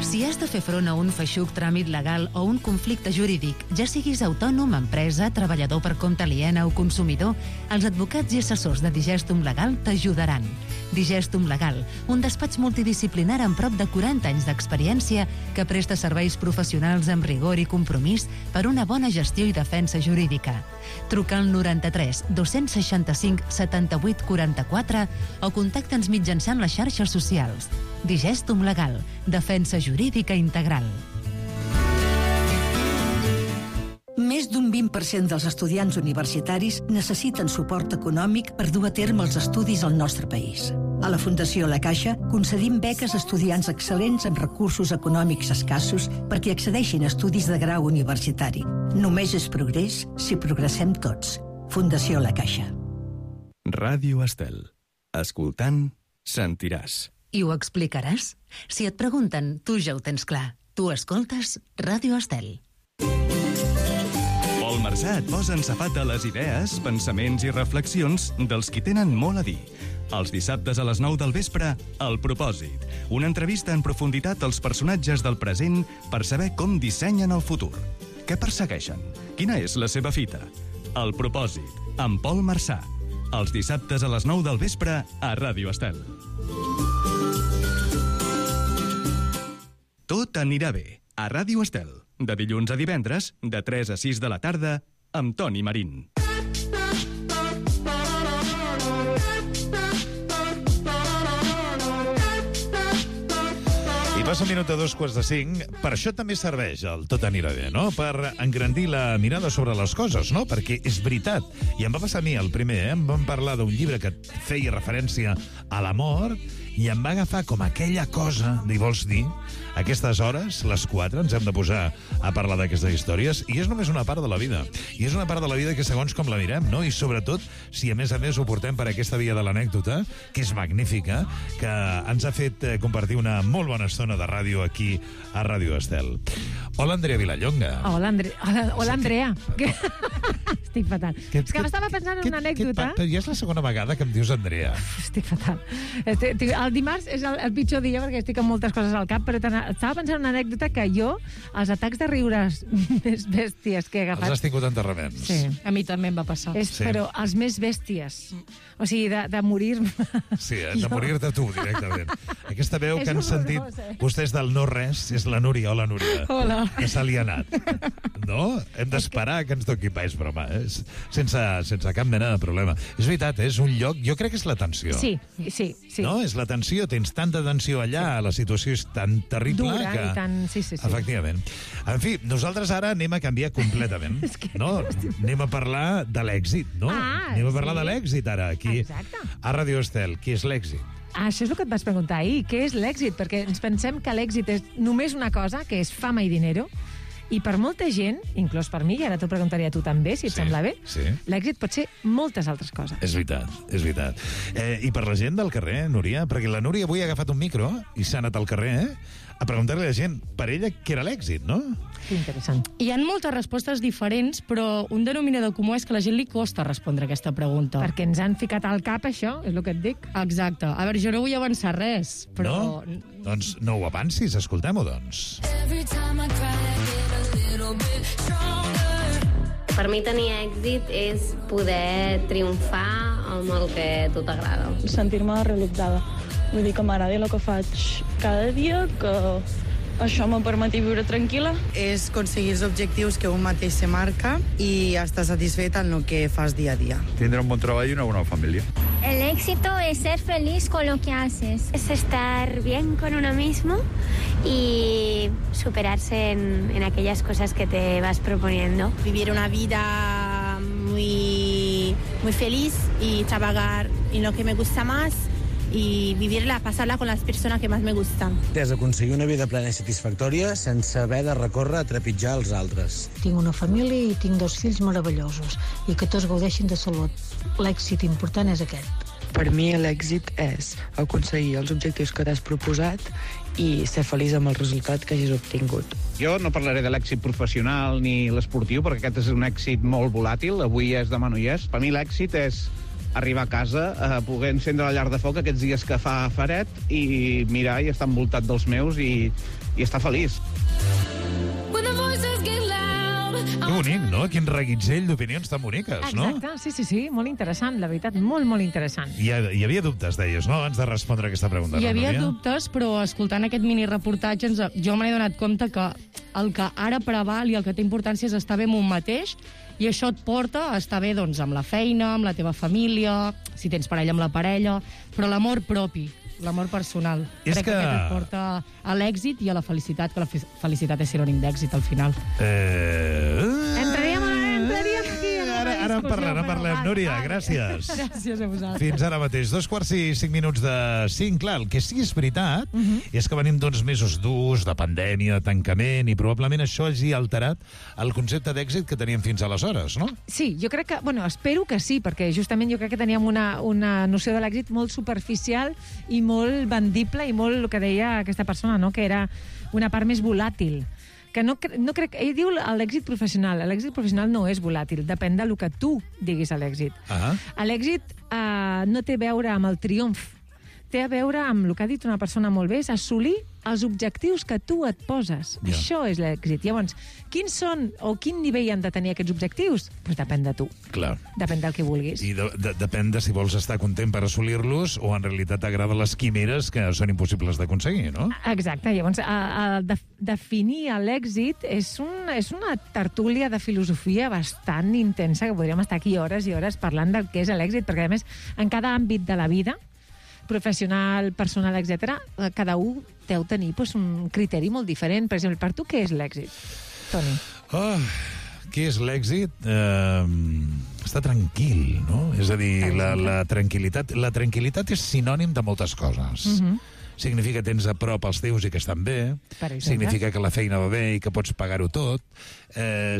Si has de fer front a un feixuc tràmit legal o un conflicte jurídic, ja siguis autònom, empresa, treballador per compte aliena o consumidor, els advocats i assessors de Digestum Legal t'ajudaran. Digestum Legal, un despatx multidisciplinar amb prop de 40 anys d'experiència que presta serveis professionals amb rigor i compromís per una bona gestió i defensa jurídica. Truca al 93 265 78 44 o contacta'ns mitjançant les xarxes socials. Digestum Legal, defensa jurídica integral. Més d'un 20% dels estudiants universitaris necessiten suport econòmic per dur a terme els estudis al nostre país. A la Fundació La Caixa concedim beques a estudiants excel·lents amb recursos econòmics escassos perquè accedeixin a estudis de grau universitari. Només és progrés si progressem tots. Fundació La Caixa. Ràdio Estel. Escoltant, sentiràs. I ho explicaràs? Si et pregunten, tu ja ho tens clar. Tu escoltes Ràdio Estel. Pol Marsà et posa en safata les idees, pensaments i reflexions dels qui tenen molt a dir. Els dissabtes a les 9 del vespre, El Propòsit. Una entrevista en profunditat als personatges del present per saber com dissenyen el futur. Què persegueixen? Quina és la seva fita? El Propòsit, amb Pol Marsà. Els dissabtes a les 9 del vespre a Ràdio Estel. Tot anirà bé, a Ràdio Estel, de dilluns a divendres, de 3 a 6 de la tarda, amb Toni Marín. I passa un minut a 4:45. Per això també serveix el Tot anirà bé, no? Per engrandir la mirada sobre les coses, no? Perquè és veritat. I em va passar a mi el primer, Em van parlar d'un llibre que feia referència a la mort i em va agafar com aquella cosa de, vols dir, aquestes hores, les 4, ens hem de posar a parlar d'aquestes històries, i és només una part de la vida. I és una part de la vida que segons com la mirem, no? I sobretot, si a més ho portem per aquesta via de l'anècdota, que és magnífica, que ens ha fet compartir una molt bona estona de ràdio aquí a Ràdio Estel. Hola, Andrea Vilallonga. Hola, Andrea. Estic fatal. És que m'estava pensant en una anècdota. Però ja és la segona vegada que em dius Andrea. Estic fatal. El dimarts és el pitjor dia perquè estic amb moltes coses al cap, però estava pensant en una anècdota que jo, els atacs de riures més bèsties que he agafat... Els has tingut enterraments. Sí. A mi també em va passar. Però els més bèsties. O sigui, de morir-me. Sí, de morir-te tu, directament. Aquesta veu que han sentit vostès del no res és la Núria. Hola, Núria. Hola. Que se li ha anat. No? Hem d'esperar que ens toqui país, broma. Sense cap mena de problema. És veritat, és un lloc... Jo crec que és la tensió. Sí. No? És la tensió. Tens tanta tensió allà, la situació és tan terrible dura que... i tan... Sí. Efectivament. En fi, nosaltres ara anem a canviar completament. No? Anem a parlar de l'èxit, no? Anem a parlar de l'èxit ara, aquí a Ràdio Estel. Què és l'èxit? Això és el que et vas preguntar ahir. Què és l'èxit? Perquè ens pensem que l'èxit és només una cosa, que és fama i dinero, i per molta gent, inclòs per mi, i ara t'ho preguntaria a tu també, si et sembla bé, l'èxit pot ser moltes altres coses. És veritat, és veritat. I per la gent del carrer, Núria, perquè la Núria avui ha agafat un micro i s'ha anat al carrer a preguntar-li a la gent per ella què era l'èxit, no? Que interessant. Hi ha moltes respostes diferents, però un denominador comú és que a la gent li costa respondre aquesta pregunta. Perquè ens han ficat al cap això, és el que et dic. Exacte. A veure, jo no vull avançar res, però... No? Doncs no ho avancis, escoltem-ho, doncs. Per mi tenir èxit és poder triomfar amb el que a tu t'agrada. Sentir-me realitzada. Vull dir que m'agradi el que faig cada dia, que això me permeti viure tranquil·la. És aconseguir els objectius que un mateix se marca i estar satisfet en el que fas dia a dia. Tindre un bon treball y una buena familia. El éxito es ser feliz con lo que haces. Es estar bien con uno mismo y superarse en aquellas cosas que te vas proponiendo. Vivir una vida muy feliz y trabajar en lo que me gusta más y vivirla, pasarla con las personas que más me gustan. És aconseguir una vida plena i satisfactòria sense haver de recórrer a trepitjar els altres. Tinc una família i tinc 2 fills meravellosos i que tots gaudeixin de salut. L'èxit important és aquest. Per mi l'èxit és aconseguir els objectius que t'has proposat i ser feliç amb el resultat que hagis obtingut. Jo no parlaré de l'èxit professional ni l'esportiu, perquè aquest és un èxit molt volàtil, avui és, demà no hi és. Per mi l'èxit és arribar a casa, poder encendre la llar de foc aquests dies que fa fred i mirar i estar envoltat dels meus i estar feliç. Que bonic, no? Quin reguitzell d'opinions tan boniques, no? Exacte, sí, molt interessant, la veritat, molt interessant. Hi havia dubtes, deies, no?, abans de respondre aquesta pregunta. Hi havia dubtes, però escoltant aquest mini-reportatge jo me n'he donat compte que el que ara preval i el que té importància és estar bé amb un mateix, i això et porta a estar bé doncs, amb la feina, amb la teva família, si tens parella, amb la parella, però l'amor propi, l'amor personal. Crec que aquest et porta a l'èxit i a la felicitat, que la felicitat és sinònim d'èxit al final. Entraríem aquí. Ara en parlem. Núria, gràcies. Gràcies a vosaltres. Fins ara mateix, 2:05 de 5. Clar, el que sí és veritat és que venim d'uns mesos durs, de pandèmia, de tancament, i probablement això hagi alterat el concepte d'èxit que teníem fins aleshores, no? Sí, jo crec que, espero que sí, perquè justament jo crec que teníem una noció de l'èxit molt superficial i molt vendible i molt, el que deia aquesta persona, no?, que era una part més volàtil. Que no crec... Ell diu l'èxit professional. L'èxit professional no és volàtil, depèn del que tu diguis a l'èxit. L'èxit no té a veure amb el triomf, té a veure amb el que ha dit una persona molt bé, és assolir els objectius que tu et poses. Ja. Això és l'èxit. Llavors, quins són o quin nivell han de tenir aquests objectius? Doncs depèn de tu. Clar. Depèn del que vulguis. I depèn de si vols estar content per assolir-los o en realitat t'agraden les quimeres que són impossibles d'aconseguir, no? Exacte. Llavors, definir l'èxit és una tertúlia de filosofia bastant intensa, que podríem estar aquí hores i hores parlant del que és l'èxit, perquè, a més, en cada àmbit de la vida, professional, personal, etc., cada un deu tenir un criteri molt diferent. Per exemple, per tu, què és l'èxit, Toni? Què és l'èxit? Estar tranquil, no? És a dir, la tranquil·litat. La tranquil·litat és sinònim de moltes coses. Significa que tens a prop els teus i que estan bé. Significa que la feina va bé i que pots pagar-ho tot.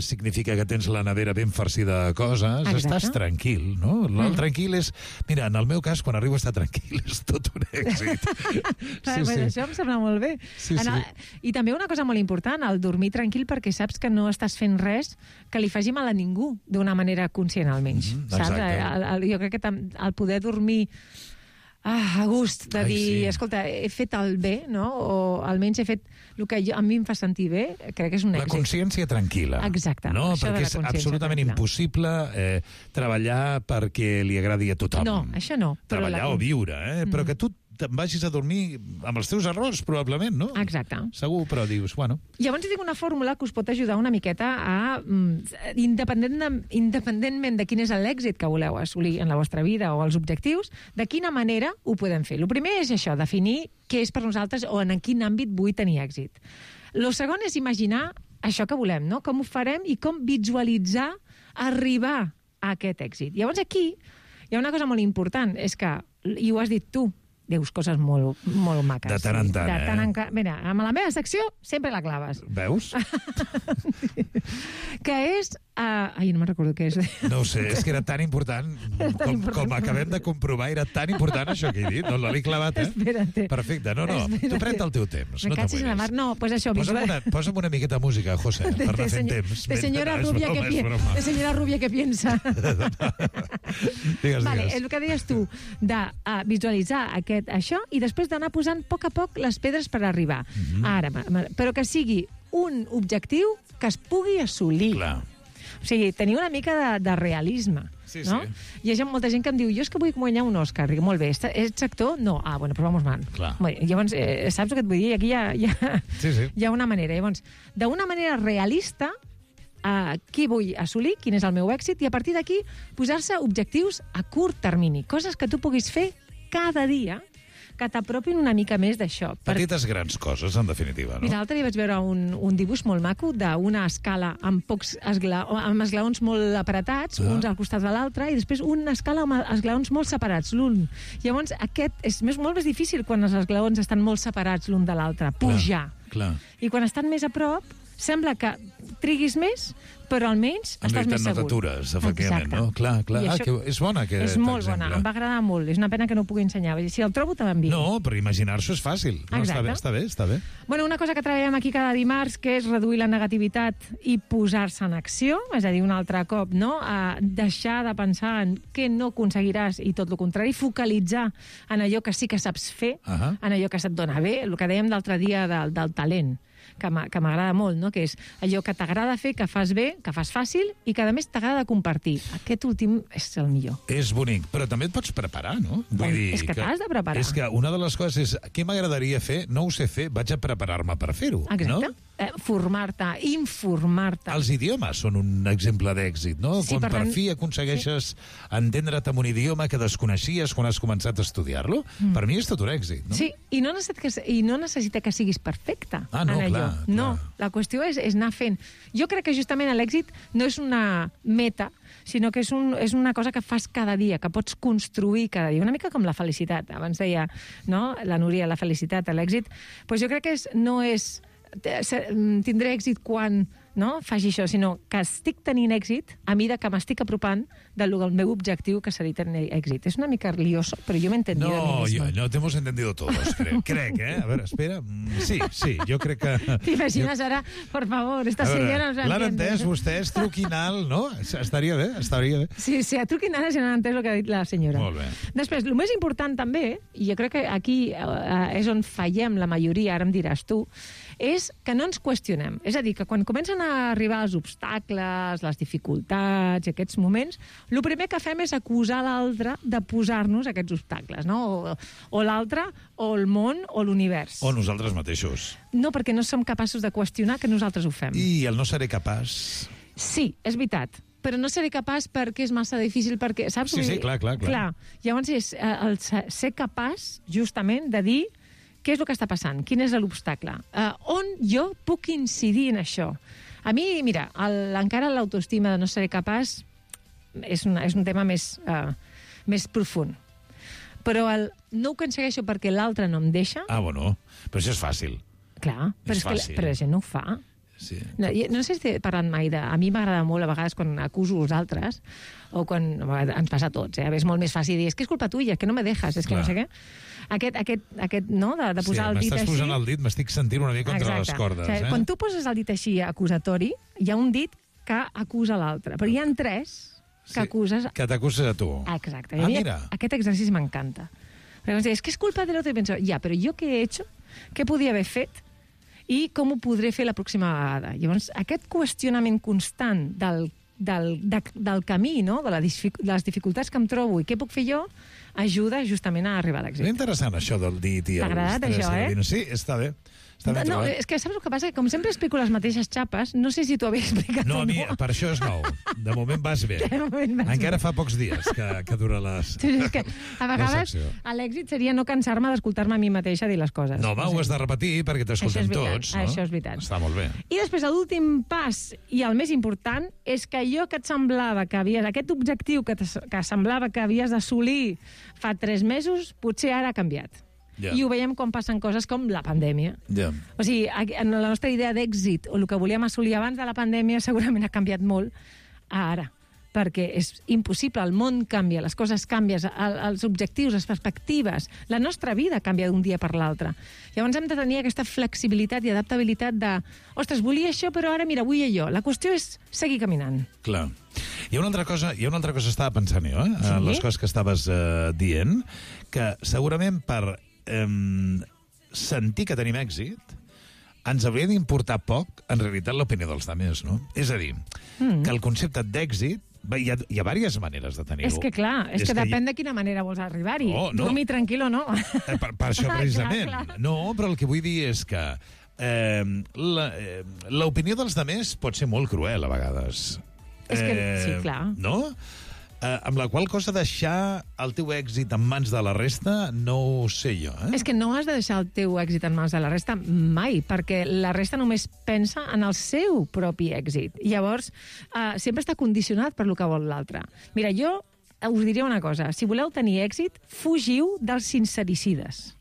Significa que tens la nevera ben farcida de coses. Exacte. Estàs tranquil, no? El tranquil és... Mira, en el meu cas, quan arribo a estar tranquil, és tot un èxit. Això em sembla molt bé. I també una cosa molt important, el dormir tranquil, perquè saps que no estàs fent res que li faci mal a ningú, d'una manera conscient, almenys. Saps? Jo crec que el poder dormir a gust, de dir, escolta, he fet el bé, no? O almenys he fet el que a mi em fa sentir bé, crec que és un èxit. La consciència tranquil·la. Exacte. No? Perquè és absolutament impossible treballar perquè li agradi a tothom. No, això no. Treballar o viure, però que tu te'n vagis a dormir amb els teus errors, probablement, no? Exacte. Segur, però dius, bueno... Llavors tinc una fórmula que us pot ajudar una miqueta a, independentment de quin és l'èxit que voleu assolir en la vostra vida o els objectius, de quina manera ho podem fer. El primer és això, definir què és per nosaltres o en quin àmbit vull tenir èxit. El segon és imaginar això que volem, no? Com ho farem i com visualitzar arribar a aquest èxit. Llavors aquí hi ha una cosa molt important, és que, i ho has dit tu, dius coses molt maques. De tant en tant, Mira, amb la meva secció sempre la claves. Veus? Que és... Ai, no me'n recordo què és. No ho sé, és que era tan important, com acabem de comprovar, era tan important això que he dit. No l'he clavat, Espera't. Perfecte, no, tu pren el teu temps. Me cachis en la mar. No, pues això... Posa'm una miqueta de música, José, per anar fent temps. De senyora rubia que piensa. Digues. El que deies tu, de visualitzar això i després d'anar posant a poc les pedres per arribar. Ara, però que sigui un objectiu que es pugui assolir. Clar. O sigui, tenir una mica de realisme. Sí, no? sí. Hi ha molta gent que em diu, jo és que vull guanyar un Òscar. Dic, molt bé, ets actor? No. Ah, bueno, però vamos mal. Clar. Bé, llavors, saps el que et vull dir? Aquí Sí. hi ha una manera. Llavors, d'una manera realista, què vull assolir, quin és el meu èxit, i a partir d'aquí posar-se objectius a curt termini, coses que tu puguis fer cada dia, que t'apropin una mica més d'això. Petites grans coses, en definitiva, no? Mira, l'altre dia vaig veure un dibuix molt maco d'una escala amb amb esglaons molt apretats, uns al costat de l'altre, i després una escala amb esglaons molt separats, l'un. Llavors, aquest és molt més difícil quan els esglaons estan molt separats l'un de l'altre, pujar. Clar. I quan estan més a prop, sembla que triguis més, però almenys estàs més segur. En t'atures, efectivament, exacte. no? Clar. Això És bona aquest és molt exemple. bona, em va agradar molt. És una pena que no ho pugui ensenyar. Si el trobo, te l'envio. No, però imaginar-s'ho és fàcil. No, està bé. Bueno, una cosa que treballem aquí cada dimarts, que és reduir la negativitat i posar-se en acció, és a dir, un altre cop, no? Deixar de pensar en què no aconseguiràs i tot el contrari, focalitzar en allò que sí que saps fer, en allò que se't dona bé, el que dèiem l'altre dia del talent, que m'agrada molt, no? Que és allò que t'agrada fer, que fas bé, que fas fàcil i que, a més, t'agrada compartir. Aquest últim és el millor. És bonic, però també et pots preparar, no? Vull dir és que t'has de preparar. És que una de les coses és, què m'agradaria fer? No ho sé fer, vaig a preparar-me per fer-ho. Exacte. No? Formar-te, informar-te. Els idiomes són un exemple d'èxit, no? Sí, quan per fi aconsegueixes entendre't amb un idioma que desconeixies quan has començat a estudiar-lo, per mi és tot un èxit, no? Sí, i no necessita que siguis perfecte no, en allò. Clar. No, la qüestió és anar fent. Jo crec que justament l'èxit no és una meta, sinó que és una cosa que fas cada dia, que pots construir cada dia. Una mica com la felicitat. Abans deia, no?, la Núria, la felicitat, l'èxit. Pues jo crec que no és tindré èxit quan faci això, sinó que estic tenint èxit a mesura que m'estic apropant del meu objectiu, que seria tenir èxit. És una mica lioso, però jo m'he entendido a mi misma. No, te hemos entendido todos, crec, A ver, espera. Sí, jo crec que... T'imagines ara, por favor, esta senyora no s'entén. L'han entès vostès, truquinal, no? Estaria bé. Sí, a truquinal ja no han entès el que ha dit la senyora. Molt bé. Després, el més important també, i jo crec que aquí és on fallem la majoria, ara em diràs tu, és que no ens qüestionem. És a dir, que quan comencen a arribar els obstacles, les dificultats i aquests moments, el primer que fem és acusar l'altre de posar-nos aquests obstacles, no? O l'altre, o el món, o l'univers. O nosaltres mateixos. No, perquè no som capaços de qüestionar que nosaltres ho fem. I el no seré capaç... Sí, és veritat. Però no seré capaç perquè és massa difícil, perquè... Saps? Sí, clar. Llavors és el ser capaç, justament, de dir què és el que està passant, quin és l'obstacle, on jo puc incidir en això. A mi, mira, encara l'autoestima de no seré capaç és un tema més profund. Però no ho aconsegueixo perquè l'altre no em deixa... bueno, però això és fàcil. Clar, però la gent no ho fa. Sí. No sé si he parlat mai de... A mi m'agrada molt, a vegades, quan acuso els altres, o quan... Ens passa a tots, És molt més fàcil dir, és que és culpa tuya, que no me dejas, és que no sé què. Aquest no?, de posar el dit així... m'estàs posant el dit, m'estic sentint una mica contra les cordes. Quan tu poses el dit així acusatori, hi ha un dit que acusa l'altre, però hi ha 3 que acuses... Que t'acuses a tu. Exacte. Mira. Aquest exercici m'encanta. Perquè em dius, és que és culpa de l'altre, i penso, però jo què he hecho? Què podia haver fet? I com ho podré fer la pròxima vegada? Llavors, aquest qüestionament constant del camí, no?, de les dificultats que em trobo i què puc fer jo, ajuda justament a arribar a l'èxit. És interessant, això del dit i... T'ha agradat, això, Sí, està bé. No, és que saps el que passa? Que com sempre explico les mateixes xapes, no sé si t'ho havia explicat o no. No, per això és nou. De moment vas bé. Encara fa pocs dies que dura les... És que a vegades l'èxit seria no cansar-me d'escoltar-me a mi mateixa dir les coses. No, ho has de repetir perquè t'escoltem tots. Això és veritat. Està molt bé. I després l'últim pas, i el més important, és que allò que et semblava que havies... Aquest objectiu que semblava que havies d'assolir fa 3 mesos, potser ara ha canviat. I ho veiem quan passen coses com la pandèmia. O sigui, en la nostra idea d'èxit, o el que volíem assolir abans de la pandèmia, segurament ha canviat molt ara, perquè és impossible, el món canvia, les coses canvien, els objectius, les perspectives, la nostra vida canvia d'un dia per l'altre. Llavors hem de tenir aquesta flexibilitat i adaptabilitat de, ostres, volia això, però ara, mira, vull allò. La qüestió és seguir caminant. Clar. Hi ha una altra cosa que estava pensant jo, les coses que estaves dient, que segurament per sentir que tenim èxit ens hauria d'importar poc, en realitat, l'opinió dels altres, no? És a dir, que el concepte d'èxit Hi ha diverses maneres de tenir-ho. És que clar, és que depèn de quina manera vols arribar-hi. Dormir tranquil o no. Per això, precisament. Clar. No, però el que vull dir és que l'opinió dels demés pot ser molt cruel, a vegades. És que, sí, clar. No? Amb la qual cosa deixar el teu èxit en mans de la resta no ho sé jo. És que no has de deixar el teu èxit en mans de la resta mai, perquè la resta només pensa en el seu propi èxit. I llavors, sempre està condicionat per lo que vol l'altre. Mira, jo us diria una cosa. Si voleu tenir èxit, fugiu dels sincericides.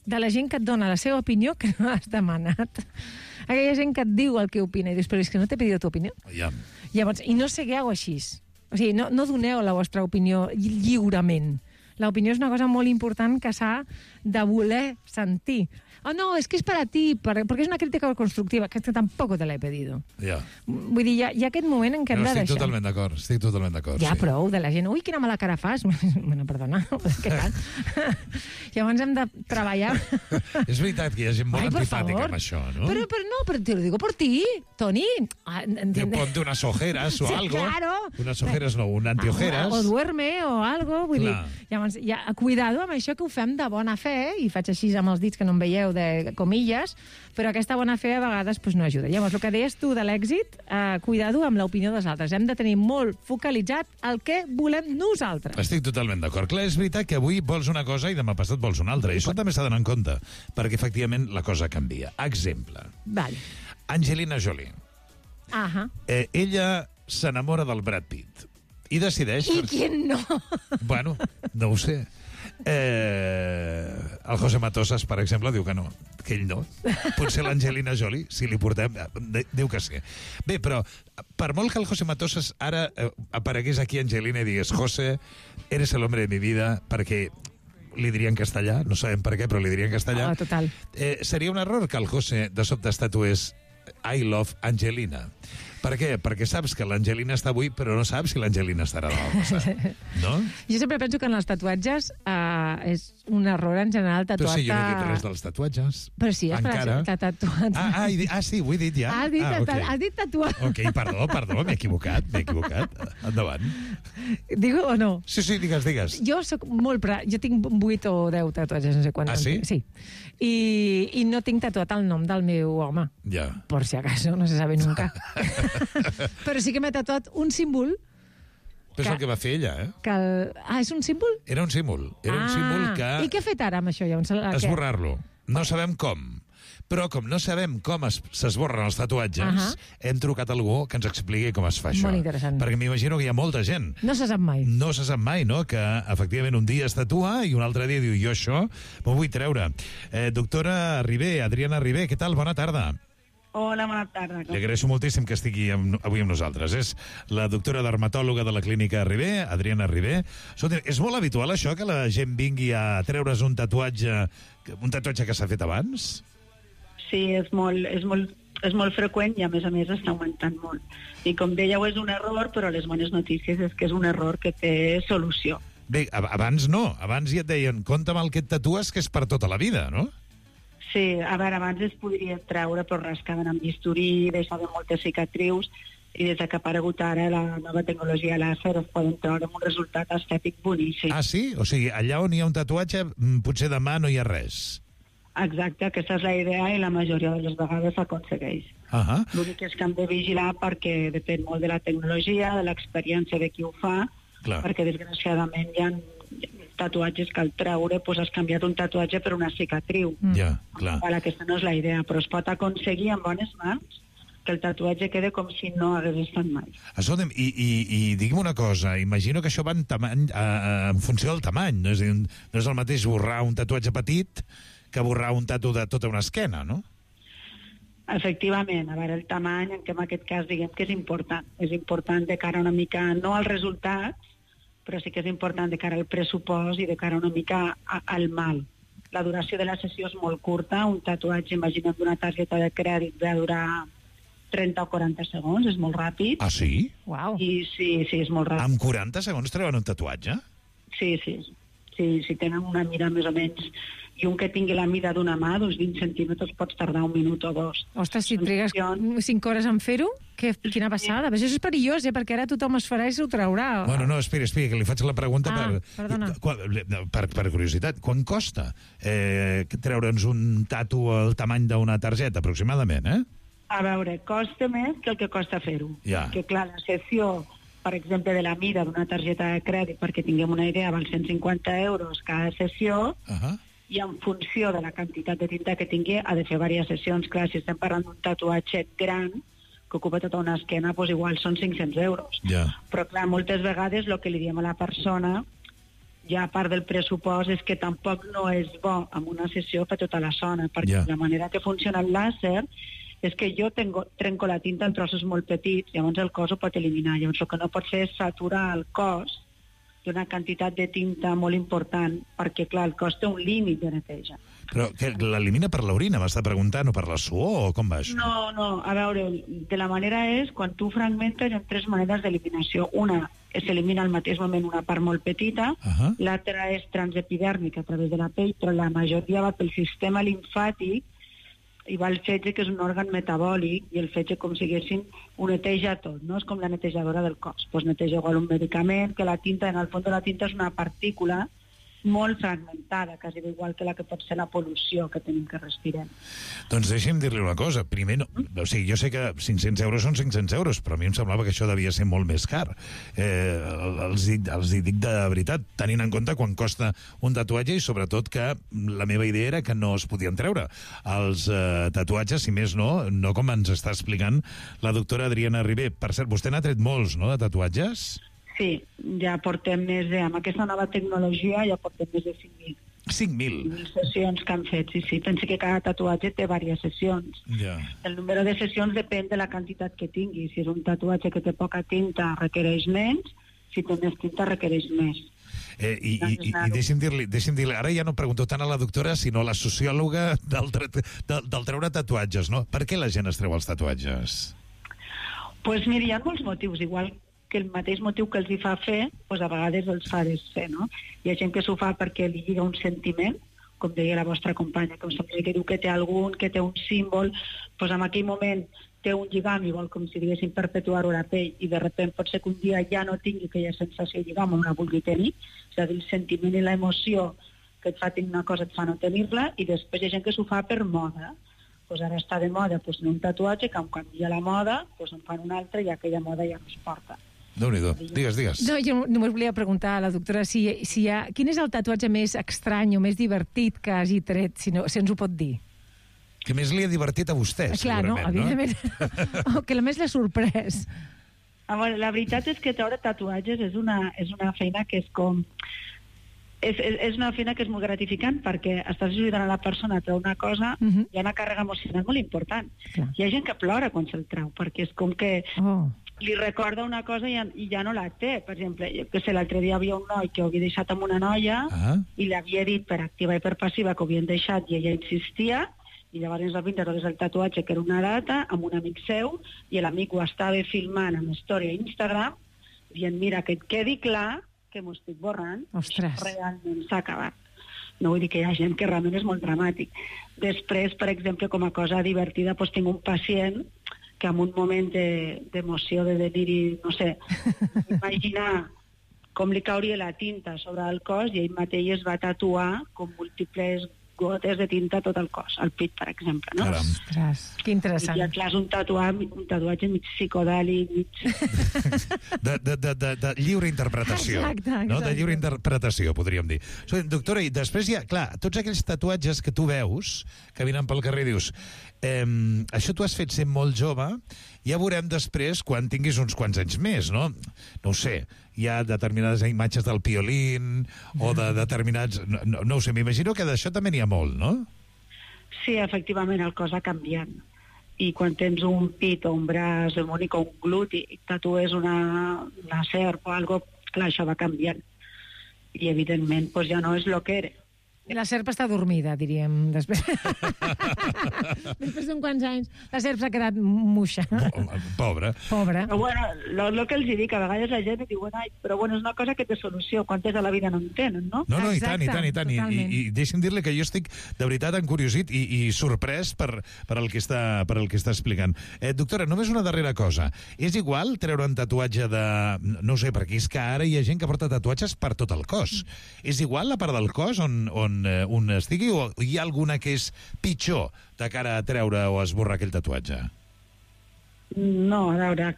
De la gent que et dona la seva opinió que no has demanat. Aquella gent que et diu el que opina i dius, però és que no t'he pedit tu opinió. Ja. Llavors, i no segueu així. O sigui, no doneu la vostra opinió lliurement. L'opinió és una cosa molt important que s'ha de voler sentir. Oh, no, es que es para ti, porque es una crítica constructiva, que tampoco te la he pedido. Ja. Vull dir, hi ha aquest moment en què hem de deixar. Estic totalment d'acord. Ja, sí. Prou, de la gent. Ui, quina mala cara fas. Bueno, perdona, què tal? Llavors hem de treballar. És veritat que hi ha gent molt antipàtica amb això, no? Pero te lo digo por ti, Toni. Ponte unas ojeras o sí, algo. Claro. Unas ojeras no, un antiojeras. O duerme o algo. Vull dir, llavors, cuidado amb això que ho fem de bona fe, i faig així amb els dits que no em veieu de comilles, però aquesta bona fe a vegades no ajuda. Llavors, el que deies tu de l'èxit, cuidado amb l'opinió dels altres. Hem de tenir molt focalitzat el que volem nosaltres. Estic totalment d'acord. Clar, és veritat que avui vols una cosa i demà passat vols una altra. I això també s'ha d'anar en compte, perquè efectivament la cosa canvia. Exemple. Vale. Angelina Jolie. Ella s'enamora del Brad Pitt i decideix... I qui no? Bueno, no ho sé. El José Matosas, per exemple, diu que no, que ell no. Potser l'Angelina Jolie, si li portem, diu que sí. Bé, però per molt que el José Matosas ara aparegués aquí Angelina i digués José, eres el hombre de mi vida, perquè li diria en castellà, no sabem per què, però li diria en castellà. Total. Seria un error que el José de sobte estatués I love Angelina. Per què? Perquè saps que l'Angelina està avui, però no saps si l'Angelina estarà demà passat. No? Jo sempre penso que en els tatuatges és un error en general tatuar-te... Però sí, jo no he dit res dels tatuatges. Però sí, encara. T'ha tatuat. Sí, ho he dit ja. Has dit tatuat. Ok, perdó, m'he equivocat. Endavant. Digo o no? Sí, digues. Jo soc molt... Jo tinc 8 o 10 tatuatges, no sé quants. Sí? Sí. I no tinc tatuat el nom del meu home. Ja. Por si acaso, no se sabe nunca. Però sí que m'he tatuat un símbol. Però és el que va fer ella, és un símbol? Era un símbol. Era un símbol que... I què ha fet ara amb això? Esborrar-lo. No sabem com. Però com no sabem com s'esborren els tatuatges, hem trucat a algú que ens expliqui com es fa això. Molt interessant. Perquè m'imagino que hi ha molta gent. No se sap mai. No se sap mai, no? Que efectivament un dia es tatua i un altre dia diu jo això m'ho vull treure. Doctora Ribé, Adriana Ribé, què tal? Bona tarda. Hola, bona tarda. Li agraeixo moltíssim que estigui avui amb nosaltres. És la doctora dermatòloga de la clínica Ribé, Adriana Ribé. És molt habitual això, que la gent vingui a treure's un tatuatge que s'ha fet abans? Sí, és molt freqüent i a més està augmentant molt. I com dèieu, és un error, però les bones notícies és que és un error que té solució. Bé, abans no. Abans ja et deien, compte amb el que et tatues, que és per tota la vida, no? Sí, a veure, abans es podria treure, però rascaven amb bisturí, deixaven moltes cicatrius, i des que ha aparegut ara la nova tecnologia làser es poden treure amb un resultat estètic boníssim. Ah, sí? O sigui, allà on hi ha un tatuatge, potser demà no hi ha res. Exacte, aquesta és la idea i la majoria de les vegades s'aconsegueix. L'únic és que hem de vigilar perquè depèn molt de la tecnologia, de l'experiència de qui ho fa, perquè desgraciadament hi ha tatuatges que al treure has canviat un tatuatge per una cicatriu. Ja, clar. Aquesta no és la idea, però es pot aconseguir amb bones mans que el tatuatge quede com si no hagués estat mai. Escolta'm, i digui'm una cosa, imagino que això va en funció del tamany, no? És a dir, no és el mateix borrar un tatuatge petit que borrar un tatu de tota una esquena, no? Efectivament, a veure, el tamany, que en aquest cas diguem que és important. És important de cara una mica, no als resultats, però sí que és important de cara al pressupost i de cara una mica al mal. La duració de la sessió és molt curta, un tatuatge, imagina't d'una targeta de crèdit, va durar 30 o 40 segons, és molt ràpid. Ah, sí? Uau. I sí, és molt ràpid. Amb 40 segons treuen un tatuatge? Sí, si tenen una mira més o menys i un que tingui la mida d'una mà, d'uns 20 centímetres, pots tardar 1 minut o 2. Ostres, si trigues 5 hores en fer-ho, quina passada. Això és perillós, perquè ara tothom es farà i s'ho traurà. Bueno, no, espera, que li faig la pregunta per curiositat. Quan costa treure'ns un tatu al tamany d'una targeta, aproximadament, A veure, costa més que el que costa fer-ho. Ja. Que clar, la sessió, per exemple, de la mida d'una targeta de crèdit, perquè tinguem una idea, val 150 euros cada sessió, i en funció de la quantitat de tinta que tingui ha de fer diverses sessions. Clar, si estem parlant d'un tatuatge gran que ocupa tota una esquena, doncs igual són 500 euros. Però clar, moltes vegades el que li diem a la persona, ja a part del pressupost, és que tampoc no és bo amb una sessió per tota la zona, perquè la manera que funciona el làser és que jo trenco la tinta en trossos molt petits, llavors el cos ho pot eliminar. Llavors el que no pot fer és saturar el cos d'una quantitat de tinta molt important, perquè, clar, el cos té un límit de neteja. Però que l'elimina per l'orina, m'està preguntant, o per la suor, o com va això? No, a veure, de la manera és, quan tu fragmentes, hi ha 3 maneres d'eliminació. Una, s'elimina al mateix moment una part molt petita, l'altra és transepidèrmica a través de la pell, però la majoria va pel sistema limfàtic, i va el fetge, que és un òrgan metabòlic, i el fetge, com si diguéssim, ho neteja tot, no? És com la netejadora del cos. Pues neteja igual un medicament, que la tinta, en el fons de la tinta és una partícula molt fragmentada, quasi igual que la que pot ser la pol·lució que tenim que respirem. Doncs deixi'm dir-li una cosa. Primer, o sigui, jo sé que 500 euros són 500 euros, però a mi em semblava que això devia ser molt més car. Els hi dic de veritat, tenint en compte quan costa un tatuatge, i sobretot que la meva idea era que no es podien treure els tatuatges, si més no com ens està explicant la doctora Adriana Ribé. Per cert, vostè n'ha tret molts, no?, de tatuatges? Sí, ja portem amb aquesta nova tecnologia ja portem més de 5.000. 5.000? Sessions que han fet, sí. Pensi que cada tatuatge té diverses sessions. El número de sessions depèn de la quantitat que tingui. Si és un tatuatge que té poca tinta, requereix menys. Si té més tinta, requereix més. I deixi'm dir-li, ara ja no pregunto tant a la doctora, sinó a la sociòloga del treure tatuatges, no? Per què la gent es treu els tatuatges? Doncs mira, hi ha molts motius, igual que el mateix motiu que els hi fa fer, doncs a vegades els fa desfer, no? Hi ha gent que s'ho fa perquè li lliga un sentiment, com deia la vostra companya, que diu que té algun, que té un símbol, doncs en aquell moment té un lligam i vol, com si diguéssim, perpetuar-ho a la pell, i de sobte pot ser que un dia ja no tingui aquella sensació de lligam o no la vulgui tenir, és a dir, el sentiment i l'emoció que et fa tenir una cosa et fa no tenir-la, i després hi ha gent que s'ho fa per moda. Doncs ara està de moda un tatuatge, que quan canvia la moda, en fan un altre i aquella moda ja no es porta. Déu-n'hi-do. Digues. No, jo només volia preguntar a la doctora quin és el tatuatge més estrany o més divertit que hagi tret, si ens ho pot dir. Que més li ha divertit a vostè, segurament, no? Evidentment. O que més l'ha sorprès. La veritat és que treure tatuatges és una feina que és com... És una feina que és molt gratificant, perquè estàs ajudant a la persona a treure una cosa i hi ha una càrrega emocional molt important. Hi ha gent que plora quan se'l treu, perquè és com que li recorda una cosa i ja no la té. Per exemple, jo que sé, l'altre dia havia un noi que ho havia deixat amb una noia i li havia dit per activa i per passiva que ho havien deixat i ella insistia, i llavors el pintat el tatuatge, que era una data, amb un amic seu, i l'amic ho estava filmant amb història a Instagram, dient, mira, que et quedi clar que m'ho estic borrant. Ostres. Realment s'ha acabat. No vull dir que hi ha gent que realment és molt dramàtic. Després, per exemple, com a cosa divertida, tinc un pacient que en un moment d'emoció, de deliri, no sé, imaginar com li cauria la tinta sobre el cos, i ell mateix es va tatuar com múltiples gotes de tinta a tot el cos, al pit, per exemple, no? Ostres, que interessant. I clar, és un tatuatge mig psicodèlic, de lliure interpretació. Exacte. No? De lliure interpretació, podríem dir. Doctora, i després hi ha, clar, tots aquells tatuatges que tu veus, que vinen pel carrer, dius, això tu has fet sent molt jove, ja veurem després quan tinguis uns quants anys més, no? No ho sé, hi ha determinades imatges del Piolín o de determinats... No ho sé, m'imagino que d'això també n'hi ha molt, no? Sí, efectivament, el cos va canviant. I quan tens un pit o un braç hegemònic o un gluti i tatues una serp o alguna cosa, clar, això va canviant. I evidentment ja no és el que era. La serp està dormida, diríem, després. Després d'uns quants anys, la serp s'ha quedat muixa. Pobra. Però bueno, el que els dic, a vegades la gent diu, però bueno, és una cosa que té solució, quantes a la vida no en tenen, no? No, i tant. I deixi'm dir-li que jo estic de veritat encuriosit i sorprès per el que està explicant. Doctora, només una darrera cosa. És igual treure un tatuatge de... No sé, perquè és que ara hi ha gent que porta tatuatges per tot el cos. És igual la part del cos on estigui, o hi ha alguna que és pitjor de cara a treure o esborrar aquell tatuatge? No, a veure,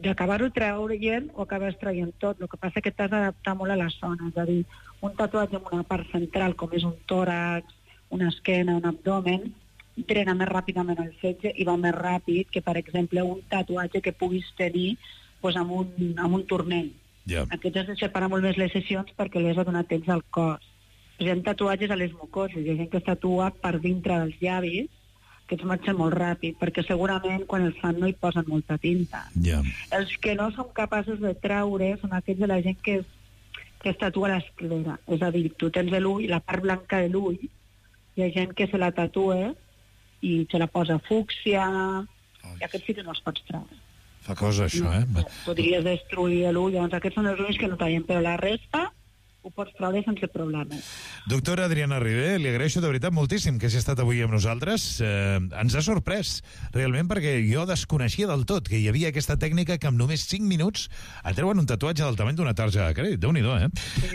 d'acabar-ho treient o acabes traient tot. El que passa és que t'has d'adaptar molt a la zona. És a dir, un tatuatge en una part central, com és un tòrax, una esquena, un abdomen, drena més ràpidament el fetge i va més ràpid que, per exemple, un tatuatge que puguis tenir amb un turmell. Aquests has de separar molt més les sessions perquè li has de donar temps al cos. Hi ha tatuatges a les mucoses, hi ha gent que es tatua per dintre dels llavis, que es marxen molt ràpid, perquè segurament quan els fan no hi posen molta tinta. Els que no som capaços de treure són aquells de la gent que es tatua l'esclera. És a dir, tu tens l'ull, la part blanca de l'ull, hi ha gent que se la tatua i se la posa fúcsia, i aquests sí que no els pots treure. Fa cosa, això, Podries destruir l'ull, llavors aquests són els ulls que no tallen, però la resta ho pots treure sense problema. Doctora Adriana Ribé, li agraeixo de veritat moltíssim que hagi estat avui amb nosaltres. Ens ha sorprès, realment, perquè jo desconeixia del tot que hi havia aquesta tècnica que amb només 5 minuts et treuen un tatuatge del tamany d'una tarja de crèdit. Déu-n'hi-do,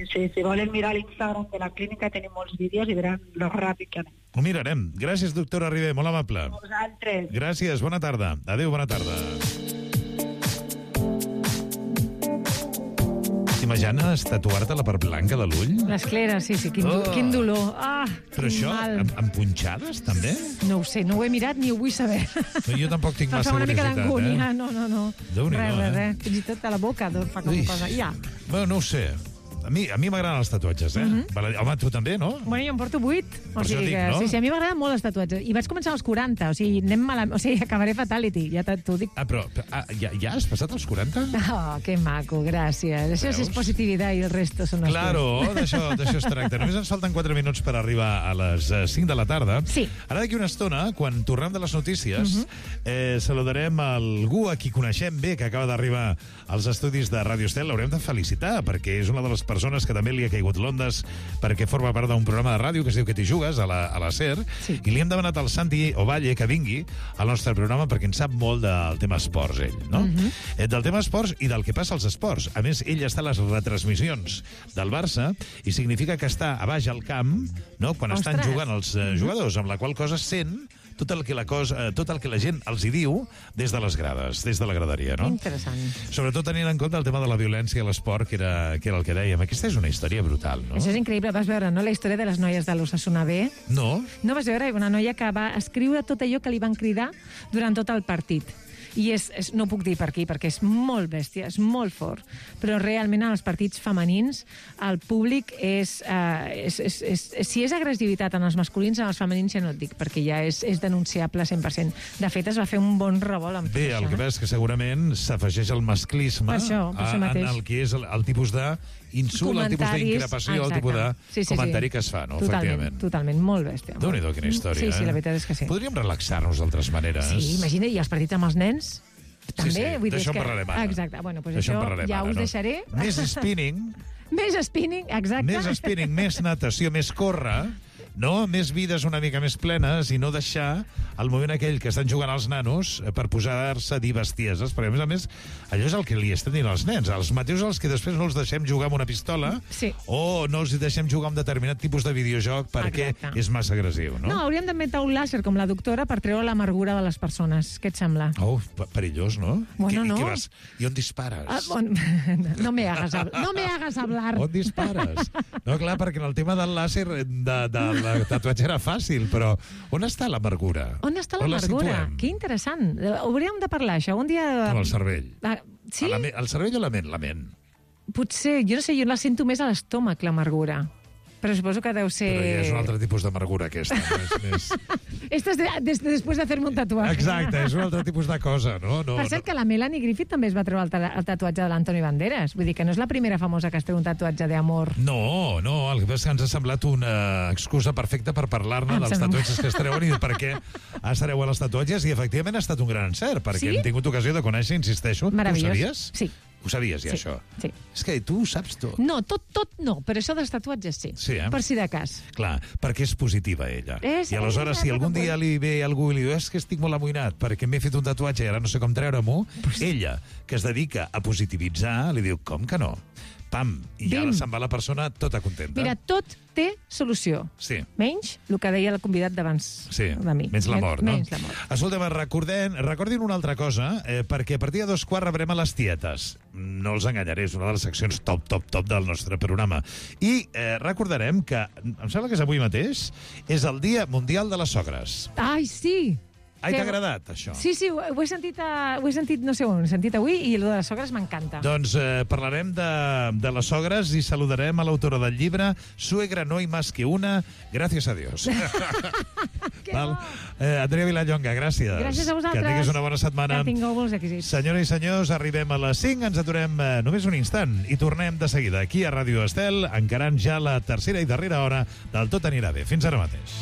Sí, si volen mirar l'Instagram de la clínica tenim molts vídeos i veran lo ràpid que anem. Ho mirarem. Gràcies, doctora Ribé, molt amable. Vosaltres. Gràcies, bona tarda. Adéu, bona tarda. T'imagines tatuar-te la part blanca de l'ull? L'esclera, sí, quin dolor. Però això, amb punxades, també? No ho sé, no ho he mirat ni ho vull saber. No, jo tampoc tinc massa curiositat. Fa una mica d'angúnia, no. Déu-n'hi-do, res. Fins i tot a la boca fa com cosa. Ja. Bueno, no ho sé. A mi m'agraden els tatuatges, Home, tu també, no? Bueno, jo en porto 8. Per això dic, no? Sí, a mi m'agraden molt els tatuatges. I vaig començar als 40, acabaré fatality, ja t'ho dic. Però ja has passat els 40? Oh, que maco, gràcies. Això és positivitat i el resto són els... Claro, d'això es tracta. Només ens falten 4 minuts per arribar a les 5 de la tarda. Sí. Ara d'aquí una estona, quan tornem de les notícies, saludarem algú a qui coneixem bé, que acaba d'arribar als estudis de Ràdio Estel. L'haurem de felicitar, perquè és una de les persones que també li ha caigut l'ondes perquè forma part d'un programa de ràdio que es diu Que t'hi jugues, a la SER, i li hem demanat al Santi Ovalle que vingui al nostre programa perquè en sap molt del tema esports, ell, no? Del tema esports i del que passa als esports. A més, ell està a les retransmissions del Barça i significa que està a baix al camp, no?, quan estan jugant els jugadors, amb la qual cosa sent tot el que la gent els hi diu des de les grades, des de la graderia, no? Interessant. Sobretot tenint en compte el tema de la violència a l'esport, que era el que dèiem. Aquesta és una història brutal, no? Això és increïble. Vas veure, no?, la història de les noies de l'Osasuna B? No. No vas veure? Una noia que va escriure tot allò que li van cridar durant tot el partit. I no puc dir per aquí, perquè és molt bèstia, és molt fort, però realment en els partits femenins el públic si és agressivitat en els masculins, en els femenins ja no et dic, perquè ja és denunciable 100%. De fet, es va fer un bon revolt amb tot això. El que passa és que segurament s'afegeix el masclisme en el que és el tipus d'insult, el tipus d'increpació, el tipus de comentari que es fa, no? Totalment, molt bèstia. Déu-n'hi-do, quina història. Sí, la veritat és que sí. Podríem relaxar-nos d'altres maneres. Sí, imagina't, i els partits amb els nens també, sí, d'això en parlarem ara. Exacte, bueno, doncs això ja us deixaré. Més spinning. Més spinning, exacte. Més spinning, més natació, més córrer, no? Més vides una mica més plenes i no deixar el moment aquell que estan jugant els nanos per posar-se a dir bestieses, perquè a més, allò és el que li estan dient als nens, els mateixos els que després no els deixem jugar amb una pistola o no els deixem jugar amb determinat tipus de videojoc perquè és massa agressiu, no? No, hauríem d'inventar un làser com la doctora per treure l'amargura de les persones. Què et sembla? Oh, perillós, no? Bueno, no. I on dispares? No me hagas hablar. On dispares? No, clar, perquè en el tema del làser del tatuatge era fàcil, però on està l'amargura? On està l'amargura? Que interessant. Hauríem de parlar, això, un dia... Amb el cervell. Sí? El cervell o la ment? La ment. Potser, jo no sé, jo la sento més a l'estómac, l'amargura. Però suposo que deu ser... Però ja és un altre tipus d'amargura, aquesta. Esto es después de hacerme un tatuaje. Exacte, és un altre tipus de cosa, no? Per cert, que la Melanie Griffith també es va treure el tatuatge de l'Anthony Banderas. Vull dir que no és la primera famosa que es treu un tatuatge d'amor. No, el que passa és que ens ha semblat una excusa perfecta per parlar-ne dels tatuatges que es treuen i per què es treuen els tatuatges, i efectivament ha estat un gran encert, perquè hem tingut ocasió de conèixer, insisteixo. Meravellós. Tu ho sabies? Sí. Ho sabies, ja, això? Sí. És que tu ho saps tot. No, tot no, però això dels tatuatges sí. Sí, per si de cas. Clar, perquè és positiva, ella. I aleshores, si algun dia li ve algú i li diu és que estic molt amoïnat perquè m'he fet un tatuatge i ara no sé com treure-m'ho, ella, que es dedica a positivitzar, li diu, com que no? Pam, i ja se'n va la persona tota contenta. Mira, tot té solució. Sí. Menys el que deia el convidat d'abans de mi. Menys la mort, no? Menys la mort. Escolta'm, recordin una altra cosa, perquè a partir de 2:15 rebrem a les tietes. No els enganyaré, és una de les seccions top del nostre programa. I recordarem que, em sembla que és avui mateix, és el Dia Mundial de les Sogres. Ai, sí! Ai, t'ha agradat, això? Sí, ho he sentit, no sé on, ho he sentit avui, i el de les sogres m'encanta. Doncs parlarem de les sogres i saludarem a l'autora del llibre Suegra no hay más que una, gracias a Dios. Andrea Vilallonga, gràcies. Gràcies a vosaltres. Que tinguis una bona setmana. Que tingueu molts èxits. Senyores i senyors, arribem a les 5, ens aturem només un instant i tornem de seguida aquí a Ràdio Estel, encarant ja la tercera i darrera hora del Tot anirà bé. Fins ara mateix.